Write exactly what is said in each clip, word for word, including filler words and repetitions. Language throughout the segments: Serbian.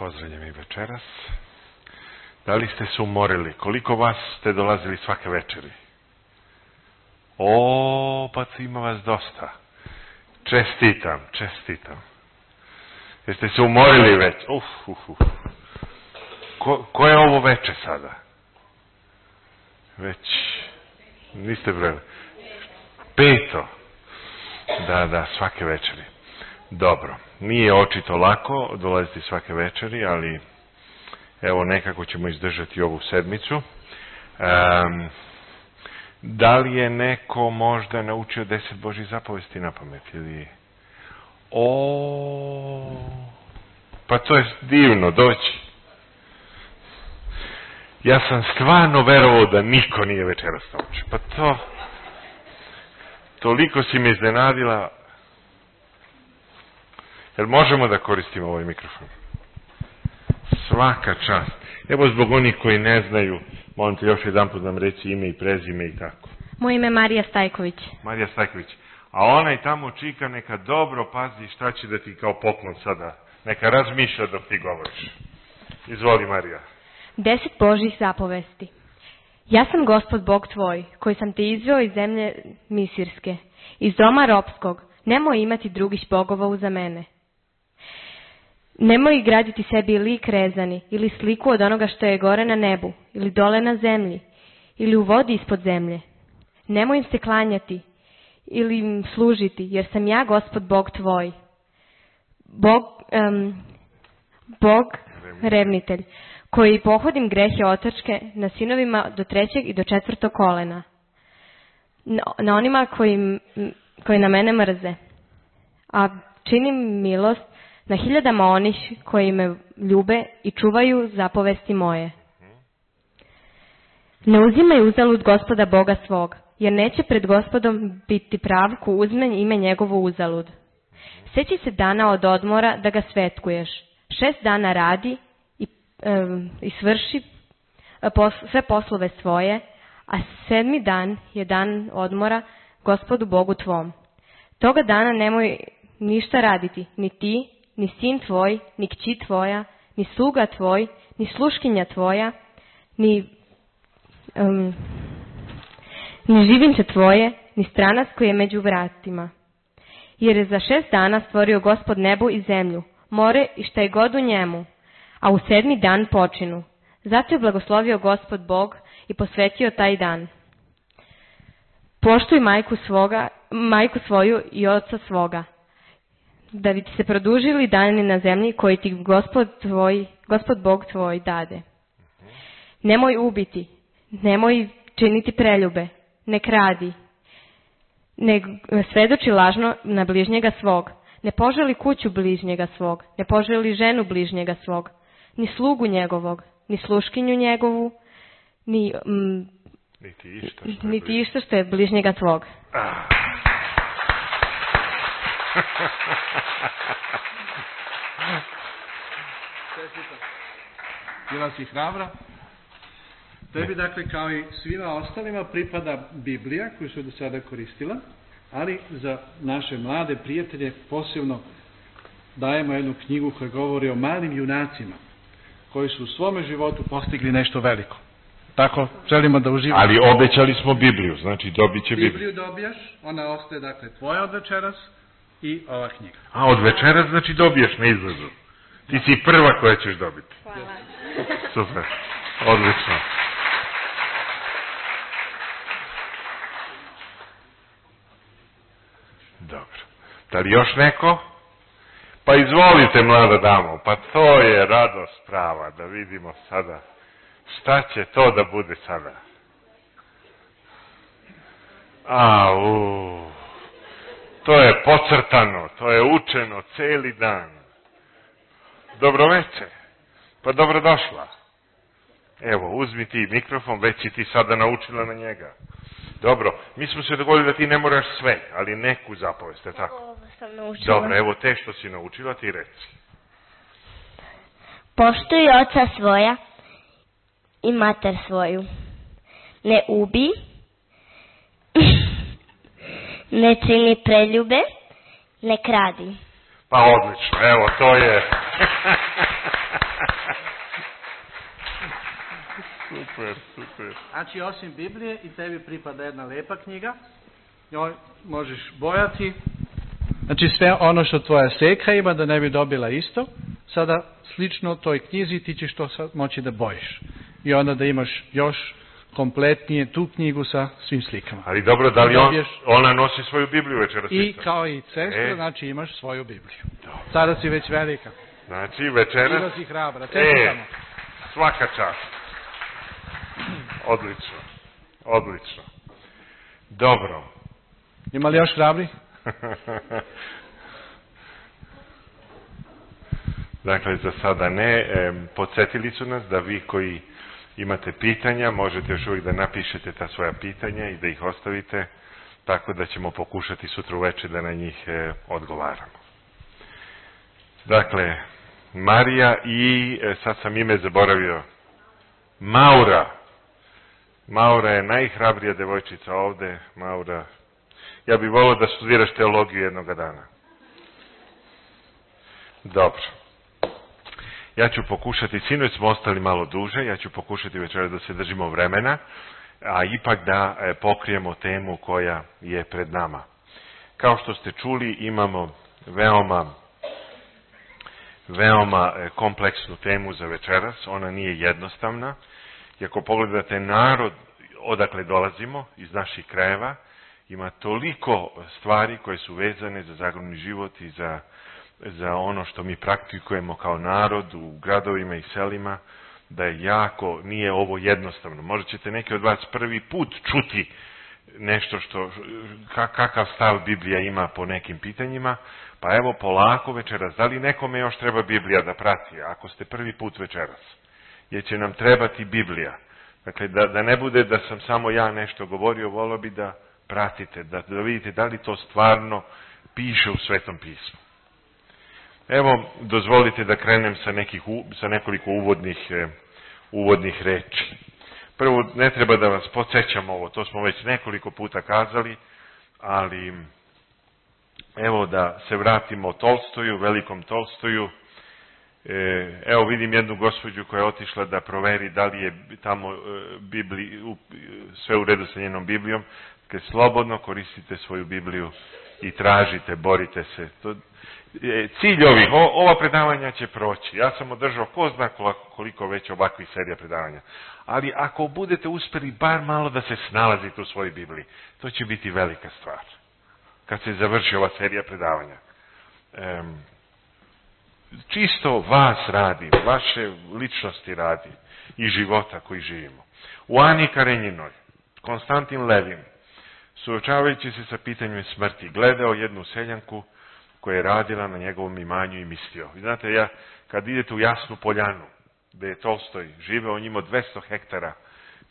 pozdravljam i večeras. Da li ste se umorili? Koliko vas ste dolazili svake večeri? O, pa ima vas dosta. Čestitam, čestitam. Jeste se umorili već? Uf, uf, uf. Ko, ko je ovo veče sada? Već, niste brojili. Peto. Da, da, svake večeri. Dobro, nije očito lako dolaziti svake večeri, ali evo nekako ćemo izdržati ovu sedmicu. Um, da li je neko možda naučio deset Božjih zapovesti na pamet? Ili... O, pa to je divno, doći. Ja sam stvarno verovao da niko nije večeras naučio. Pa to, toliko si me iznenadila. Jel možemo da koristimo ovaj mikrofon? Svaka čast. Evo zbog onih koji ne znaju, molim te još jedan put nam reći ime i prezime i tako. Moje ime je Marija Stajković. Marija Stajković. A onaj tamo čika neka dobro pazi šta će da ti kao poklon sada. Neka razmišlja dok ti govoriš. Izvoli, Marija. Deset Božjih zapovesti. Ja sam Gospod Bog tvoj, koji sam te izveo iz zemlje Misirske, iz doma ropskog. Nemoj imati drugih bogova uza mene. Nemoj graditi sebi lik rezani ili sliku od onoga što je gore na nebu ili dole na zemlji ili u vodi ispod zemlje. Nemoj im se klanjati ili im služiti, jer sam ja Gospod Bog tvoj. Bog, um, Bog revnitelj, koji pohodim grehe otačke na sinovima do trećeg i do četvrtog kolena. Na, na onima koji, koji na mene mrze. A činim milost na hiljadama onih koji me ljube i čuvaju zapovesti moje. Ne uzimaj uzalud Gospoda Boga svog, jer neće pred Gospodom biti prav ko uzme ime njegovo uzalud. Sjeći se dana od odmora da ga svetkuješ. Šest dana radi i, um, i svrši pos, sve poslove svoje, a sedmi dan je dan odmora Gospodu Bogu tvom. Toga dana nemoj ništa raditi, ni ti, ni sin tvoj, ni kći tvoja, ni sluga tvoj, ni sluškinja tvoja, ni, um, ni živinče tvoje, ni stranac koji je među vratima. Jer je za šest dana stvorio Gospod nebo i zemlju, more i šta je god u njemu, a u sedmi dan počinu. Zato je blagoslovio Gospod Bog i posvetio taj dan. Poštuj majku, svoga, majku svoju i oca svoga, da bi ti se produžili dani na zemlji koji ti Gospod, tvoj, Gospod Bog tvoj dade. Nemoj ubiti, nemoj činiti preljube, ne kradi, ne svedoči lažno na bližnjega svog, ne poželi kuću bližnjega svog, ne poželi ženu bližnjega svog, ni slugu njegovog, ni sluškinju njegovu, ni, mm, niti išta što, niti išta što je bližnjega tvog. Ah. Bila si hrabra? Tebi, dakle, kao i svima ostalima, pripada Biblija koju su do sada koristila, ali za naše mlade prijatelje posebno dajemo jednu knjigu koja govori o malim junacima koji su u svome životu postigli nešto veliko. Tako želimo da uživamo. Ali obećali smo Bibliju, znači dobit će Bibliju. Bibliju dobijaš, ona ostaje, dakle, tvoja od večeras i ova knjiga. A od večeras znači dobiješ na izlazu. Ti si prva koja ćeš dobiti. Hvala. Super, odlično. Dobro. Da li još neko? Pa izvolite, mlada damo, pa to je radost prava, da vidimo sada. Šta će to da bude sada? Au, to je pocrtano, to je učeno celi dan. Dobroveče, pa dobrodošla. Evo, uzmi ti mikrofon, već si ti sada naučila na njega. Dobro, mi smo se dogovorili da ti ne moraš sve, ali neku zapovest, je tako? Ovo sam naučila. Dobro, evo te što si naučila, ti reci. Poštuj oca svoja i mater svoju. Ne ubi, ne čini preljube, ne kradi. Pa odlično, evo, to je... super, super. Znači, osim Biblije i tebi pripada jedna lepa knjiga, njoj možeš bojati. Znači, sve ono što tvoja seka ima da ne bi dobila isto, sada slično toj knjizi ti ćeš to sad moći da bojiš. I onda da imaš još kompletnije tu knjigu sa svim slikama. Ali dobro, da li on, ona nosi svoju Bibliju večeras? I kao i sestra, e. znači imaš svoju Bibliju. Dobro. Sada si već velika. Znači večeras... Sada si hrabra. E, svaka čast. Odlično. Odlično. Dobro. Ima li još hrabri? Dakle, za sada ne. E, podsjetili su nas da vi koji imate pitanja, možete još uvijek da napišete ta svoja pitanja i da ih ostavite, tako da ćemo pokušati sutra uveče da na njih e, odgovaramo. Dakle, Marija i, e, sad sam ime zaboravio, Maura. Maura je najhrabrija devojčica ovde. Maura, ja bih volio da studiraš teologiju jednoga dana. Dobro. Ja ću pokušati, sinoć smo ostali malo duže, ja ću pokušati večeras da se držimo vremena, a ipak da e, pokrijemo temu koja je pred nama. Kao što ste čuli, imamo veoma, veoma e, kompleksnu temu za večeras, ona nije jednostavna. I ako pogledate narod odakle dolazimo, iz naših krajeva, ima toliko stvari koje su vezane za zagrobni život i za za ono što mi praktikujemo kao narod u gradovima i selima, da je jako, nije ovo jednostavno. Možda ćete neki od vas prvi put čuti nešto što, kakav stav Biblija ima po nekim pitanjima, pa evo polako večeras, da li nekome još treba Biblija da prati, ako ste prvi put večeras, jer će nam trebati Biblija. Dakle, da, da ne bude da sam samo ja nešto govorio, volio bi da pratite, da, da vidite da li to stvarno piše u Svetom pismu. Evo, dozvolite da krenem sa, nekih, sa nekoliko uvodnih, eh, uvodnih reči. Prvo, ne treba da vas podsjećam ovo, to smo već nekoliko puta kazali, ali evo da se vratimo Tolstoju, velikom Tolstoju. E, evo vidim jednu gospođu koja je otišla da proveri da li je tamo e, Bibli, u, sve u redu sa njenom Biblijom. Kad slobodno koristite svoju Bibliju i tražite, borite se. To, cilj ovih, ova predavanja će proći. Ja sam održao ko zna koliko već ovakvih serija predavanja. Ali ako budete uspjeli bar malo da se snalazite u svojoj Bibliji, to će biti velika stvar. Kad se završi ova serija predavanja. Um, čisto vas radi, vaše ličnosti radi i života koji živimo. U Ani Karenjinoj, Konstantin Levin, suočavajući se sa pitanjem smrti, gledao jednu seljanku koja je radila na njegovom imanju i mislio. Vi znate, ja, kad idete u Jasnu Poljanu, gde je Tolstoj živeo, on imao dvesta hektara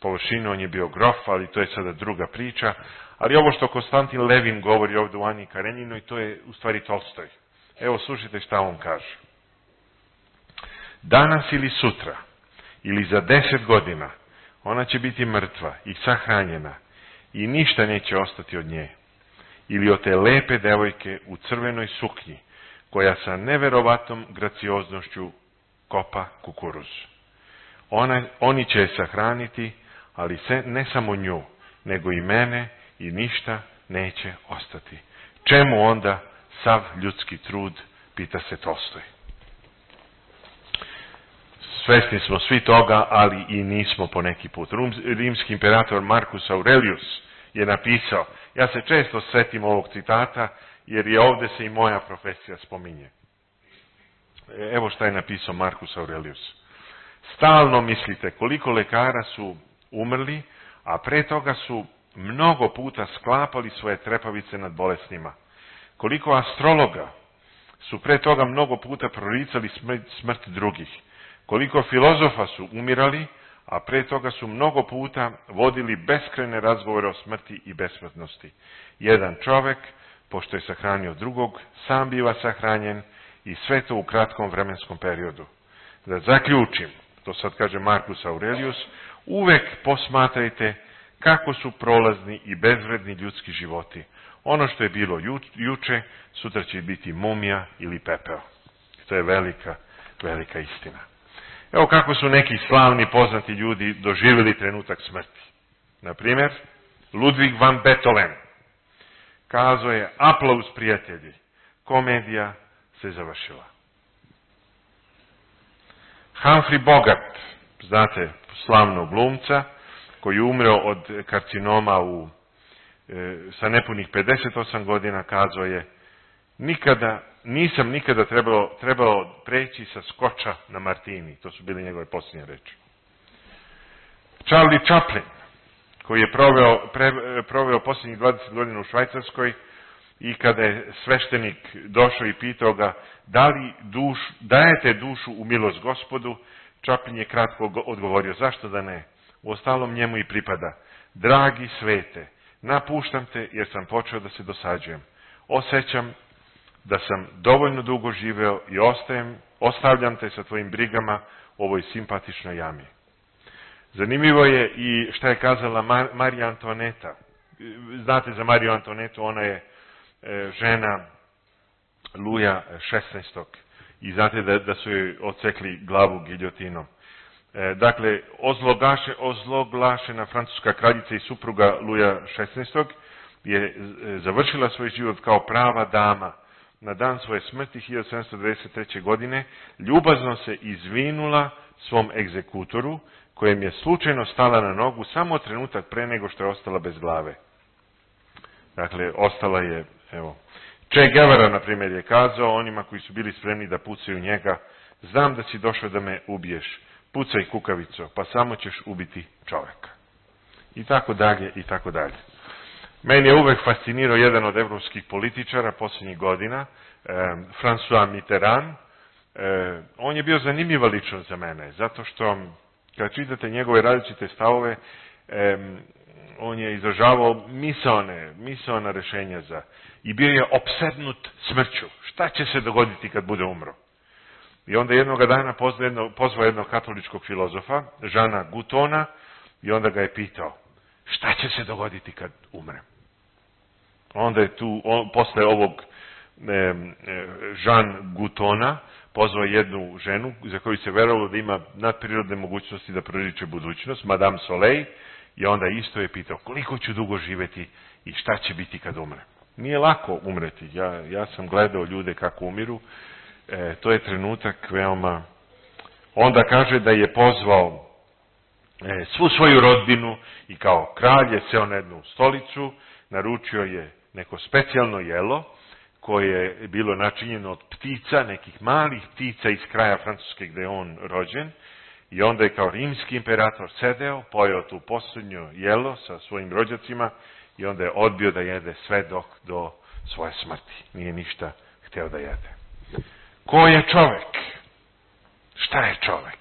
površinu, on je bio grof, ali to je sada druga priča. Ali ovo što Konstantin Levin govori ovdje u Ani Karenjinoj, to je u stvari Tolstoj. Evo, slušajte šta on kaže. Danas ili sutra, ili za deset godina, ona će biti mrtva i sahranjena i ništa neće ostati od nje. Ili od te lepe devojke u crvenoj suknji, koja sa neverovatnom gracioznošću kopa kukuruz. Ona, oni će je sahraniti, ali se, ne samo nju, nego i mene, i ništa neće ostati. Čemu onda sav ljudski trud, pita se Tolstoj. Svesni smo svi toga, ali i nismo po neki put. Rimski imperator Marcus Aurelius je napisao, ja se često setim ovog citata, jer je ovdje se i moja profesija spominje. Evo šta je napisao Marcus Aurelius. Stalno mislite koliko lekara su umrli, a pre toga su mnogo puta sklapali svoje trepavice nad bolesnima. Koliko astrologa su pre toga mnogo puta proricali smrt, smrt drugih. Koliko filozofa su umirali, a pre toga su mnogo puta vodili beskrajne razgovore o smrti i besmrtnosti. Jedan čovek, pošto je sahranio drugog, sam biva sahranjen i sve to u kratkom vremenskom periodu. Da zaključim, to sad kaže Marcus Aurelius, uvek posmatrajte kako su prolazni i bezvredni ljudski životi. Ono što je bilo ju, juče, sutra će biti mumija ili pepeo. To je velika, velika istina. Evo kako su neki slavni poznati ljudi doživjeli trenutak smrti. Na primjer, Ludwig van Beethoven kazao je: aplauz prijatelji, komedija se završila. Humphrey Bogart, znate, slavnog glumca, koji je umreo od karcinoma u, e, sa nepunih pedeset osam godina, kazao je: nikada, nisam nikada trebao, trebao preći sa skoča na martini. To su bile njegove posljednje reči. Charlie Chaplin, koji je proveo, pre, proveo posljednjih dvadeset godina u Švajcarskoj, i kada je sveštenik došao i pitao ga: da li duš, dajete dušu u milost Gospodu, Chaplin je kratko odgovorio: zašto da ne? Uostalom njemu i pripada. Dragi svete, napuštam te jer sam počeo da se dosađujem. Osjećam da sam dovoljno dugo živeo i ostajem, ostavljam te sa tvojim brigama u ovoj simpatičnoj jami. Zanimljivo je i šta je kazala Mar- Marija Antoneta. Znate za Mariju Antonetu, ona je e, žena Luja šesnaestog. I znate da, da su joj odsekli glavu giljotinom. E, dakle, ozloglaše, ozloglašena francuska kraljica i supruga Luja šesnaestog je e, završila svoj život kao prava dama. Na dan svoje smrti hiljadu sedamsto devedeset treće. godine ljubazno se izvinula svom egzekutoru, kojem je slučajno stala na nogu samo trenutak pre nego što je ostala bez glave. Dakle, ostala je, evo, Che Guevara, na primjer, je kazao onima koji su bili spremni da pucaju njega: znam da si došao da me ubiješ, pucaj kukavico, pa samo ćeš ubiti čovjeka. I tako dalje, i tako dalje. Meni je uvek fascinirao jedan od evropskih političara posljednjih godina, eh, François Mitterrand. Eh, on je bio zanimljiva ličnost za mene, zato što kad čitate njegove različite stavove, eh, on je izražavao misaone, misaona rešenja za, i bio je opsednut smrću. Šta će se dogoditi kad bude umro? I onda jednoga dana pozvao jednog, pozvao jednog katoličkog filozofa, Žana Gutona, i onda ga je pitao: šta će se dogoditi kad umrem? Onda je tu, on, posle ovog e, e, Jean Gutona, pozvao jednu ženu za koju se verovalo da ima nadprirodne mogućnosti da proriče budućnost, Madame Soleil, i onda isto je pitao: koliko ću dugo živjeti i šta će biti kad umrem? Nije lako umreti. Ja, ja sam gledao ljude kako umiru. E, to je trenutak veoma... Onda kaže da je pozvao e, svu svoju rodbinu i kao kralj je seo na jednu stolicu, naručio je neko specijalno jelo koje je bilo načinjeno od ptica, nekih malih ptica iz kraja Francuske gdje je on rođen, i onda je kao rimski imperator sedeo, pojeo tu posljednju jelo sa svojim rođacima i onda je odbio da jede sve dok do svoje smrti. Nije ništa hteo da jede. Ko je čovjek? Šta je čovjek?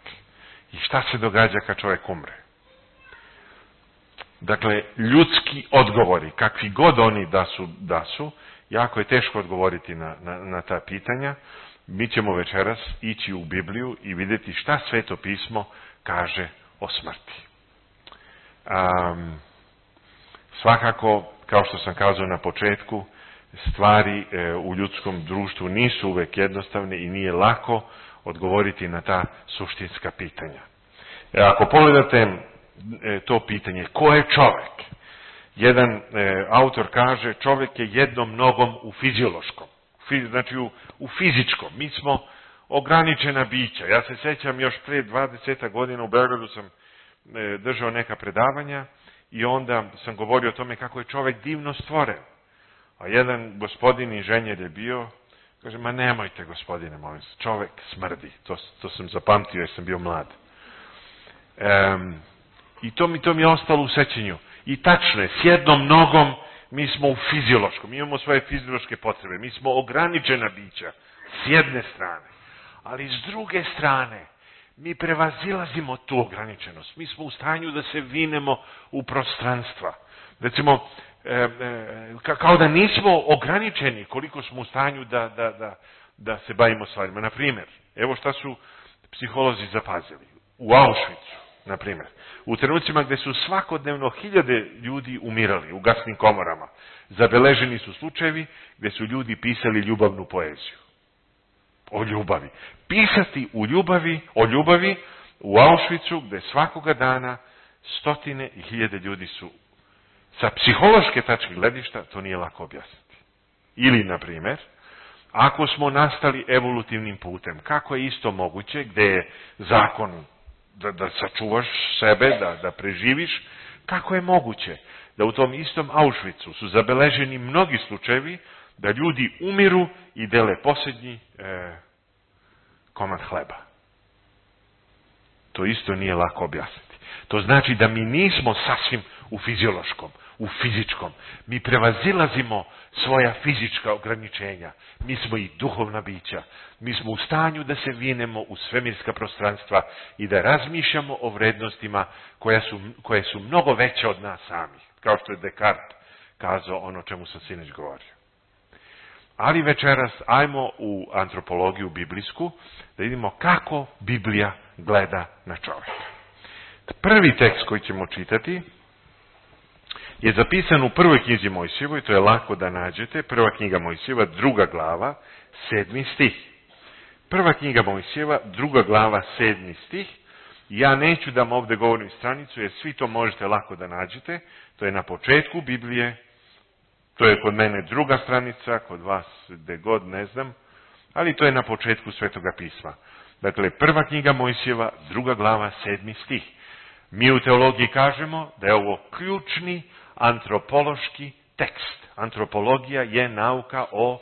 I šta se događa kad čovjek umre? Dakle, ljudski odgovori, kakvi god oni da su, da su, jako je teško odgovoriti na, na, na ta pitanja. Mi ćemo večeras ići u Bibliju i vidjeti šta Sveto pismo kaže o smrti. Um, svakako, kao što sam kazao na početku, stvari e, u ljudskom društvu nisu uvek jednostavne i nije lako odgovoriti na ta suštinska pitanja. E, ako pogledate e, to pitanje, ko je čovjek? Jedan e, autor kaže: čovjek je jednom nogom u fiziološkom, fiz, znači u, u fizičkom. Mi smo ograničena bića. Ja se sjećam još prije dvadeset godina u Beogradu sam e, držao neka predavanja i onda sam govorio o tome kako je čovjek divno stvoren. A jedan gospodin inženjer je bio, kaže: ma nemojte gospodine, molim se, čovjek smrdi. To, to sam zapamtio jer sam bio mlad. Um, I to mi, to mi je ostalo u sećanju. I tačno je, s jednom nogom mi smo u fiziološkom, mi imamo svoje fiziološke potrebe, mi smo ograničena bića, s jedne strane. Ali s druge strane, mi prevazilazimo tu ograničenost. Mi smo u stanju da se vinemo u prostranstva. Recimo, e, e, kao da nismo ograničeni koliko smo u stanju da, da, da, da se bavimo stvarima. Na primjer, evo šta su psiholozi zapazili. U Auschwitzu, na primjer, u trenucima gdje su svakodnevno hiljade ljudi umirali u gasnim komorama, zabeleženi su slučajevi gdje su ljudi pisali ljubavnu poeziju. O ljubavi. Pisati u ljubavi, o ljubavi u Auschwitzu, gde svakoga dana stotine i hiljade ljudi su, sa psihološke tačke gledišta, to nije lako objasniti. Ili, na primjer, ako smo nastali evolutivnim putem, kako je isto moguće, gde je zakon da, da sačuvaš sebe, da, da preživiš, kako je moguće da u tom istom Auschwitzu su zabeleženi mnogi slučajevi da ljudi umiru i dele posljednji e, komad hleba. To isto nije lako objasniti. To znači da mi nismo sasvim u fiziološkom, u fizičkom. Mi prevazilazimo svoja fizička ograničenja. Mi smo i duhovna bića. Mi smo u stanju da se vinemo u svemirska prostranstva i da razmišljamo o vrednostima koja su, koje su mnogo veće od nas samih. Kao što je Descartes kazao ono čemu sam sinoć govorio. Ali večeras ajmo u antropologiju biblijsku da vidimo kako Biblija gleda na čovjeka. Prvi tekst koji ćemo čitati je zapisan u prvoj knjizi Mojsijevoj, to je lako da nađete, prva knjiga Mojsijeva, druga glava, sedmi stih. Prva knjiga Mojsijeva, druga glava, sedmi stih. Ja neću da vam ovdje govorim stranicu, jer svi to možete lako da nađete. To je na početku Biblije, to je kod mene druga stranica, kod vas gde god, ne znam, ali to je na početku Svetoga pisma. Dakle, prva knjiga Mojsijeva, druga glava, sedmi stih. Mi u teologiji kažemo da je ovo ključni antropološki tekst. Antropologija je nauka o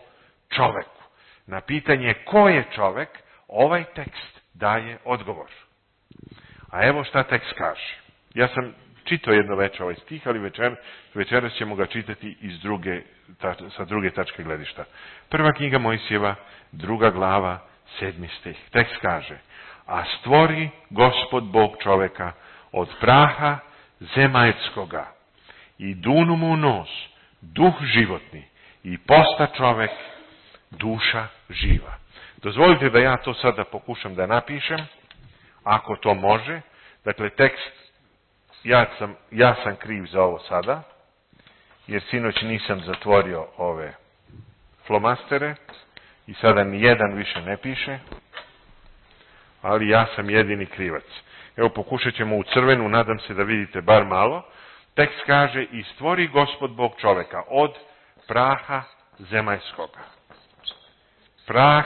čoveku. Na pitanje ko je čovek, ovaj tekst daje odgovor. A evo šta tekst kaže. Ja sam čitao jedno večer ovaj stih, ali večer, večeras ćemo ga čitati iz druge, ta, sa druge tačke gledišta. Prva knjiga Mojsijeva, druga glava, sedmi stih. Tekst kaže: a stvori Gospod Bog čoveka od praha zemaljskoga i dunu mu u nos duh životni i posta čovek duša živa. Dozvolite da ja to sada pokušam da napišem, ako to može. Dakle, tekst, ja sam, ja sam kriv za ovo sada, jer sinoć nisam zatvorio ove flomastere i sada ni jedan više ne piše, ali ja sam jedini krivac. Evo, pokušat ćemo u crvenu, nadam se da vidite bar malo. Tekst kaže: i stvori Gospod Bog čoveka od praha zemaljskoga. Prah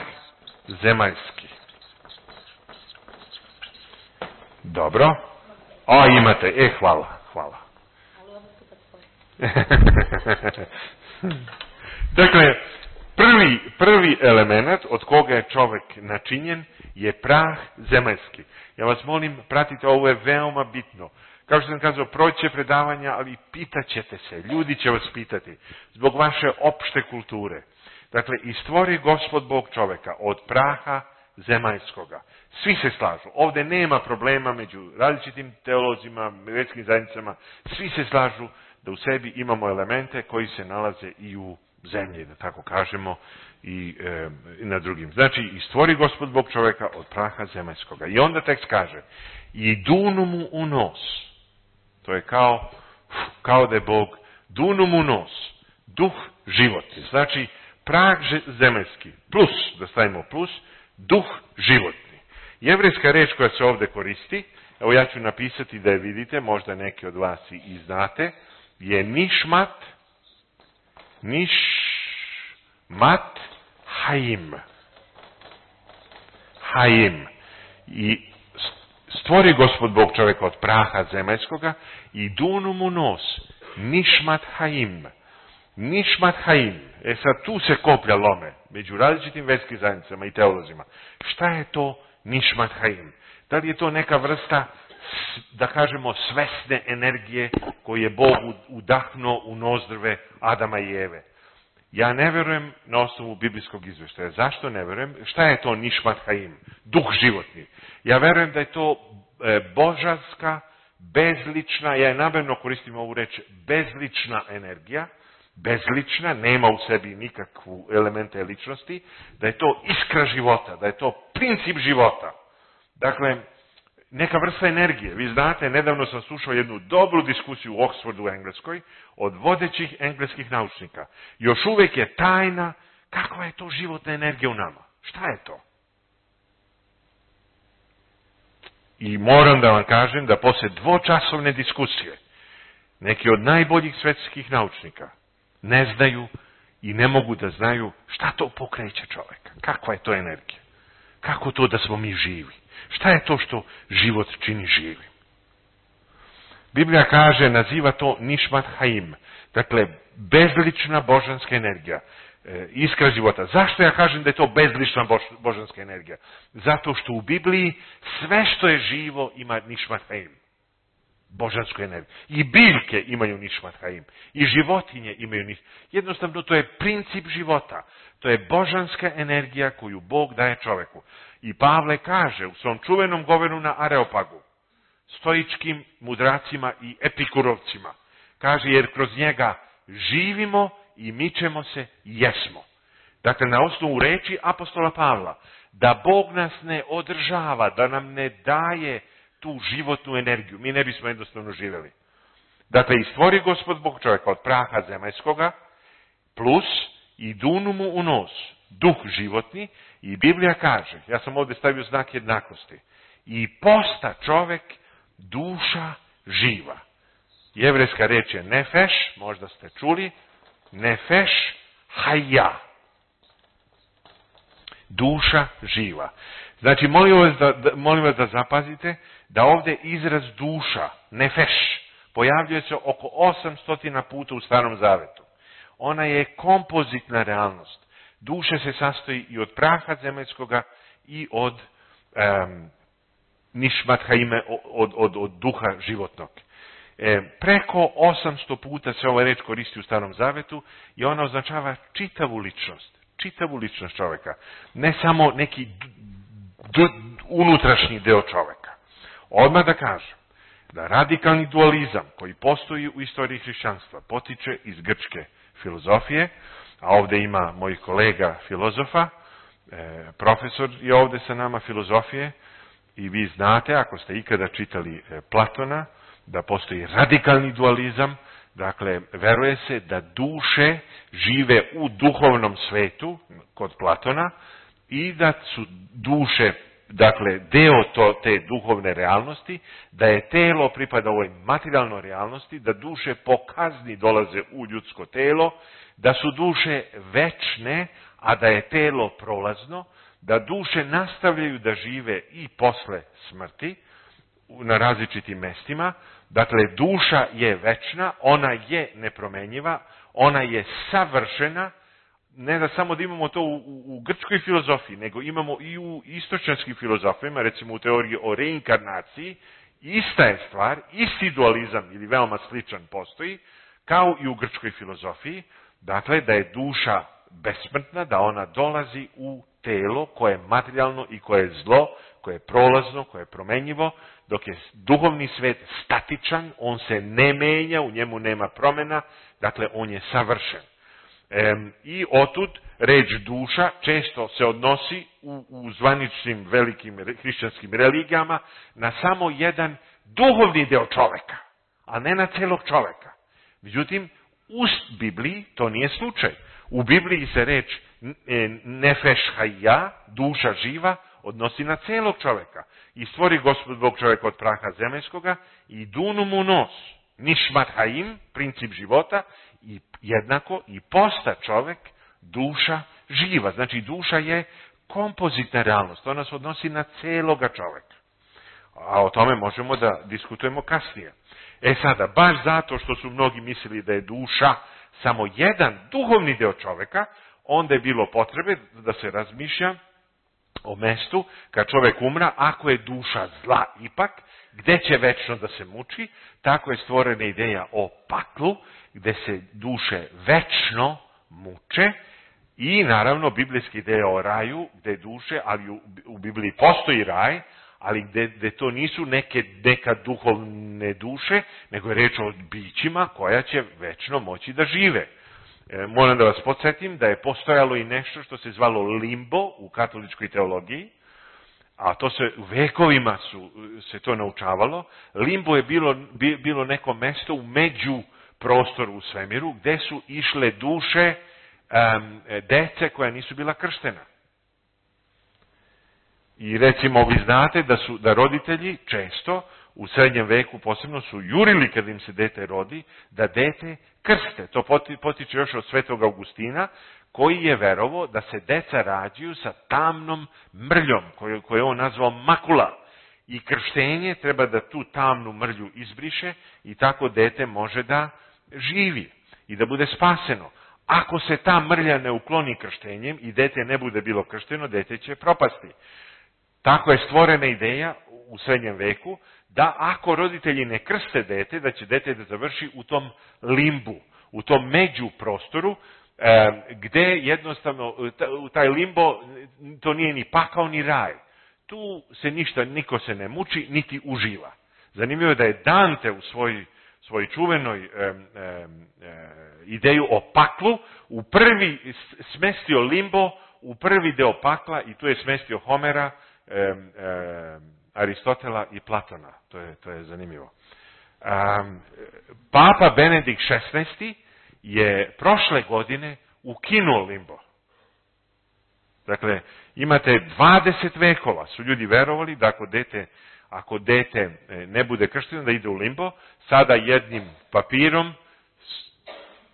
zemaljski. Dobro. O, imate. E, hvala, hvala. Dakle, prvi, prvi element od koga je čovek načinjen je prah zemaljski. Ja vas molim, pratite, ovo je veoma bitno. Kao što sam kazao, proći predavanja, ali pitat ćete se, ljudi će vas pitati, zbog vaše opšte kulture. Dakle, i stvori Gospod Bog čoveka od praha zemaljskoga. Svi se slažu. Ovdje nema problema među različitim teolozima, vjerskim zajednicama. Svi se slažu da u sebi imamo elemente koji se nalaze i u zemlji, da tako kažemo, i, e, i na drugim. Znači, i stvori Gospod Bog čoveka od praha zemaljskoga. I onda tekst kaže: i dunu mu u nos. To je kao, kao da je Bog dunu mu u nos. Duh životni. Znači, prah zemaljski. Plus, da stavimo plus, duh životni. Jevrejska reč koja se ovdje koristi, evo ja ću napisati da je vidite, možda neki od vas i znate, je nišmat, nišmat haim. Haim. I stvori Gospod Bog čovjeka od praha zemaljskoga i dunu mu nos. Nišmat haim. Nišmat haim. E sad tu se koplja lome među različitim vjerskim zajednicama i teolozima. Šta je to nišmat haim? Da li je to neka vrsta, da kažemo, svesne energije koju je Bog udahnuo u nozdrve Adama i Eve? Ja ne verujem na osnovu biblijskog izvještaja. Zašto ne verujem? Šta je to nišmat haim? Duh životni. Ja verujem da je to e, božanska, bezlična, ja je namjerno koristim ovu reč, bezlična energija, bezlična, nema u sebi nikakvu elemente ličnosti, da je to iskra života, da je to princip života. Dakle, neka vrsta energije. Vi znate, nedavno sam slušao jednu dobru diskusiju u Oxfordu u Engleskoj od vodećih engleskih naučnika. Još uvijek je tajna kakva je to životna energija u nama. Šta je to? I moram da vam kažem da posle dvočasovne diskusije neki od najboljih svetskih naučnika ne znaju i ne mogu da znaju šta to pokreće čoveka. Kakva je to energija? Kako to da smo mi živi? Šta je to što život čini živim? Biblija kaže, naziva to Nishmat Haim, dakle bezlična božanska energija, e, iskra života. Zašto ja kažem da je to bezlična bož, božanska energija? Zato što u Bibliji sve što je živo ima Nishmat Haim, božansku energiju. I biljke imaju Nishmat Haim, i životinje imaju Nishmat Haim. Jednostavno to je princip života. To je božanska energija koju Bog daje čoveku. I Pavle kaže u svom čuvenom govoru na Areopagu, stoičkim mudracima i epikurovcima, kaže, jer kroz njega živimo i mičemo se i jesmo. Dakle, na osnovu reči apostola Pavla, da Bog nas ne održava, da nam ne daje tu životnu energiju, mi ne bismo jednostavno živjeli. Dakle, i stvori Gospod Bog čovjeka od praha zemaljskoga, plus i dunu mu u nos duh životni, i Biblija kaže, ja sam ovdje stavio znak jednakosti, i posta čovjek duša živa. Jevrejska reč je nefeš, možda ste čuli, nefeš haja. Duša živa. Znači, molim vas da, da, molim vas da zapazite da ovdje izraz duša, nefeš, pojavljuje se oko osamsto puta u Starom Zavetu. Ona je kompozitna realnost. Duša se sastoji i od praha zemaljskoga i od um, Nishmat Haime, od, od, od duha životnog. E, preko osamsto puta se ova reč koristi u Starom Zavetu i ona označava čitavu ličnost. Čitavu ličnost čovjeka. Ne samo neki d, d, unutrašnji deo čovjeka. Odmah da kažem da radikalni dualizam koji postoji u istoriji hrišćanstva potiče iz grčke filozofije, a ovdje ima mojih kolega filozofa, e, profesor je ovdje sa nama filozofije, i vi znate, ako ste ikada čitali e, Platona, da postoji radikalni dualizam, dakle, veruje se da duše žive u duhovnom svetu, kod Platona, i da su duše, dakle, deo to, te duhovne realnosti, da je telo pripada ovoj materijalnoj realnosti, da duše po kazni dolaze u ljudsko telo, da su duše večne, a da je telo prolazno, da duše nastavljaju da žive i posle smrti na različitim mestima. Dakle, duša je večna, ona je nepromenjiva, ona je savršena, ne da samo da imamo to u, u, u grčkoj filozofiji, nego imamo i u istočanskim filozofijama, recimo u teoriji o reinkarnaciji, ista je stvar, isti dualizam ili veoma sličan postoji, kao i u grčkoj filozofiji, dakle da je duša besmrtna, da ona dolazi u telo koje je materijalno i koje je zlo, koje je prolazno, koje je promenjivo, dok je duhovni svet statičan, on se ne menja, u njemu nema promjena, dakle on je savršen. E, I otud reč duša često se odnosi u, u zvaničnim velikim hrišćanskim religijama na samo jedan duhovni deo čoveka, a ne na celog čoveka. Međutim, u Bibliji to nije slučaj. U Bibliji se reč nefeš haja, duša živa, odnosi na celog čoveka. I stvori Gospod Bog čoveka od praha zemaljskoga i dunu mu nos, Nishmat Haim, princip života, i jednako i posta čovek, duša živa. Znači duša je kompozitna realnost, ona se odnosi na celoga čoveka. A o tome možemo da diskutujemo kasnije. E sada, baš zato što su mnogi mislili da je duša samo jedan duhovni deo čoveka, onda je bilo potrebe da se razmišlja o mestu kad čovek umra, ako je duša zla ipak, gde će večno da se muči, tako je stvorena ideja o paklu, gde se duše večno muče, i naravno biblijski ideja o raju, gde duše, ali u, u Bibliji postoji raj, ali gde, gde to nisu neke, neka duhovne duše, nego je reč o bićima koja će večno moći da žive. E, moram da vas podsjetim da je postojalo i nešto što se zvalo limbo u katoličkoj teologiji, a to se u vekovima su, se to naučavalo. Limbo je bilo, bilo neko mesto u među prostoru u svemiru gde su išle duše um, dece koja nisu bila krštena. I recimo vi znate da su da roditelji često u srednjem veku posebno su jurili kad im se dete rodi, da dete krste. To potiče još od svetog Augustina, koji je verovao da se deca rađaju sa tamnom mrljom, koju, koju je on nazvao makula. I krštenje treba da tu tamnu mrlju izbriše i tako dete može da živi i da bude spaseno. Ako se ta mrlja ne ukloni krštenjem i dete ne bude bilo kršteno, dete će propasti. Tako je stvorena ideja u srednjem veku da ako roditelji ne krste dete, da će dete da završi u tom limbu, u tom među prostoru, e, gde jednostavno u taj limbo to nije ni pakao ni raj. Tu se ništa, niko se ne muči, niti uživa. Zanimljivo je da je Dante u svoj, svoj čuvenoj e, e, ideju o paklu u prvi smestio limbo, u prvi deo pakla i tu je smestio Homera, e, e, Aristotela i Platona. To je, to je zanimljivo. Um, Papa Benedikt šesnaesti je prošle godine ukinuo limbo. Dakle, imate dvadeset vekova, su ljudi verovali da ako dete, ako dete ne bude kršteno da ide u limbo, sada jednim papirom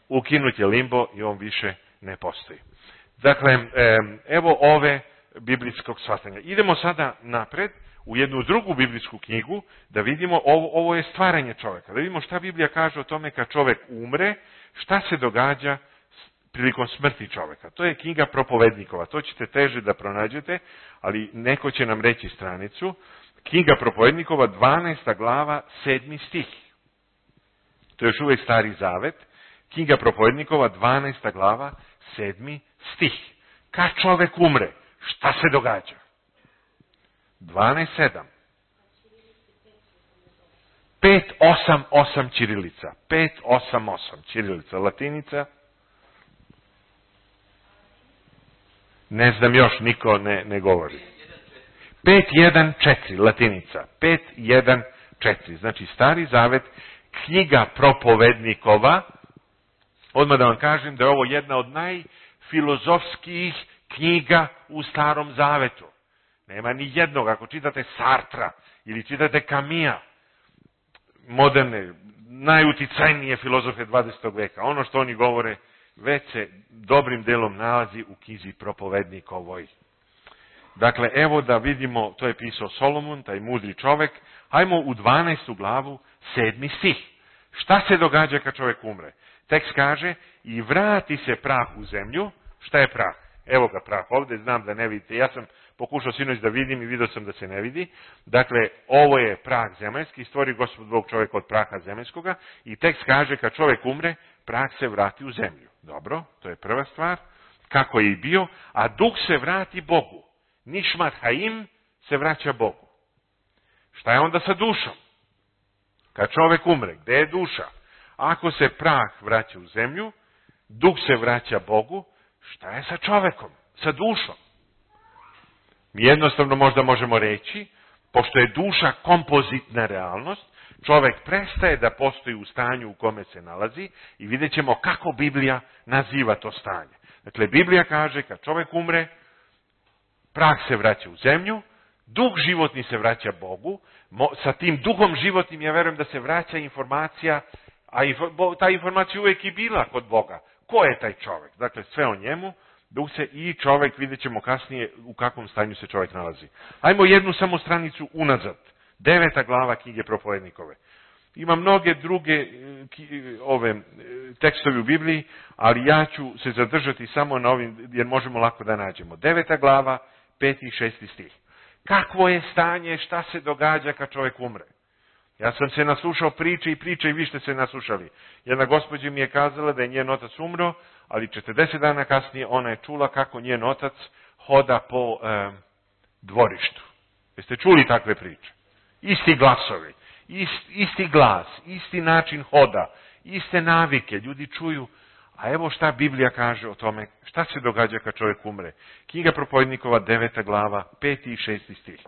ukinut je limbo i on više ne postoji. Dakle, evo ove biblijskog shvatanja. Idemo sada napred u jednu drugu biblijsku knjigu da vidimo, ovo, ovo je stvaranje čovjeka. Da vidimo šta Biblija kaže o tome kad čovjek umre, šta se događa prilikom smrti čovjeka. To je knjiga Propovednikova. To ćete teže da pronađete, ali neko će nam reći stranicu. Knjiga Propovednikova, dvanaesta glava, sedmi stih. To je još uvijek Stari Zavet. Knjiga Propovednikova, dvanaesta glava, sedmi stih. Kad čovjek umre, šta se događa? dvanaest sedam. pet osam osam ćirilica. pet osam osam ćirilica. Latinica. Ne znam još, niko ne, ne govori. pet jedan četiri. Latinica. pet jedan četiri. Znači Stari Zavet, knjiga Propovednikova. Odmah da vam kažem da je ovo jedna od najfilozofskijih knjiga u Starom Zavetu. Nema ni jednog. Ako čitate Sartra ili čitate Kamija, moderne, najuticajnije filozofe dvadesetog veka, ono što oni govore već se dobrim delom nalazi u knjizi Propovednikovoj. Dakle, evo da vidimo, to je pisao Solomon, taj mudri čovek. Hajmo u dvanaestu glavu, sedmi stih. Šta se događa kad čovjek umre? Tekst kaže, i vrati se prah u zemlju. Šta je prah? Evo ga prah ovdje, znam da ne vidite. Ja sam pokušao sinoć da vidim i vidio sam da se ne vidi. Dakle, ovo je prah zemaljski, stvori Gospod Bog čovjeka od praha zemaljskoga i tekst kaže kad čovjek umre, prah se vrati u zemlju. Dobro, to je prva stvar, kako je i bio, a duh se vrati Bogu. Nišmat haim se vraća Bogu. Šta je onda sa dušom? Kad čovjek umre, gdje je duša? Ako se prah vraća u zemlju, duh se vraća Bogu, šta je sa čovjekom, sa dušom? Mi jednostavno možda možemo reći, pošto je duša kompozitna realnost, čovjek prestaje da postoji u stanju u kome se nalazi i vidjet ćemo kako Biblija naziva to stanje. Dakle, Biblija kaže kad čovjek umre, prah se vraća u zemlju, duh životni se vraća Bogu, sa tim duhom životnim ja verujem da se vraća informacija, a ta informacija uvijek i bila kod Boga. Ko je taj čovjek? Dakle, sve o njemu, duh se i čovjek, vidjet ćemo kasnije u kakvom stanju se čovjek nalazi. Ajmo jednu samo stranicu unazad. Deveta glava knjige Propovednikove. Ima mnoge druge ove tekstovi u Bibliji, ali ja ću se zadržati samo na ovim, jer možemo lako da nađemo. Deveta glava, peti i šesti stih. Kakvo je stanje, šta se događa kad čovjek umre? Ja sam se naslušao priče i priče i vi ste se naslušali. Jedna gospođa mi je kazala da je njen otac umro, ali četrdeset dana kasnije ona je čula kako njen otac hoda po e, dvorištu. Jeste čuli takve priče? Isti glasovi, ist, isti glas, isti način hoda, iste navike, ljudi čuju. A evo šta Biblija kaže o tome, šta se događa kad čovjek umre. Knjiga Propovednikova, deveta glava, peti i šesti stih.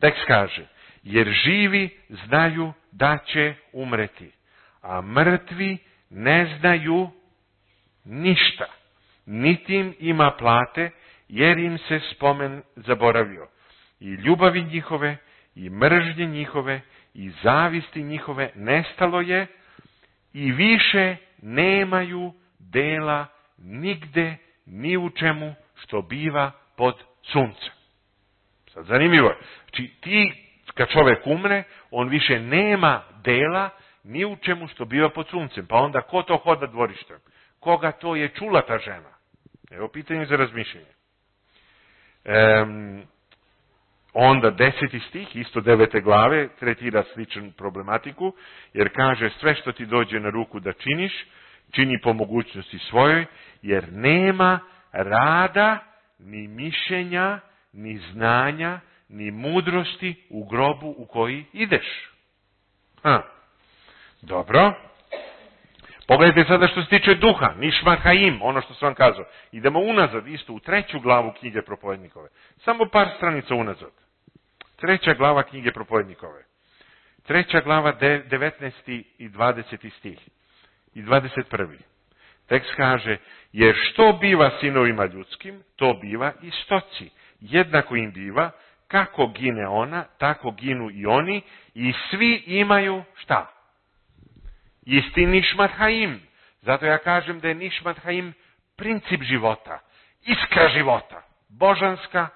Tekst kaže, jer živi znaju da će umreti, a mrtvi ne znaju ništa, niti im ima plate, jer im se spomen zaboravio. i ljubavi njihove, i mržnje njihove, i zavisti njihove nestalo je, i više nemaju dela nigde, ni u čemu što biva pod suncem. Sad zanimljivo je. Znači ti, kad čovjek umre, on više nema dela ni u čemu što biva pod suncem. Pa onda ko to hoda dvorištem? Koga to je čula ta žena? Evo pitanje za razmišljanje. Um, onda deseti stih, isto devete glave, tretira sličnu problematiku, jer kaže sve što ti dođe na ruku da činiš, čini po mogućnosti svojoj, jer nema rada, ni mišljenja, ni znanja, ni mudrosti u grobu u koji ideš. Ha. Dobro. Pogledajte sada što se tiče duha, Nishmat Haim, ono što sam vam kazao. Idemo unazad, isto u treću glavu knjige Propovednikove. Samo par stranica unazad. Treća glava knjige Propovednikove. Treća glava, devetnaesti i dvadeseti stih. I dvadeset prvi. Tekst kaže, jer što biva sinovima ljudskim, to biva i stoci. Jednako im biva, kako gine ona, tako ginu i oni, i svi imaju šta? Isti Nishmat Haim. Zato ja kažem da je Nishmat Haim princip života, iskra života, božanska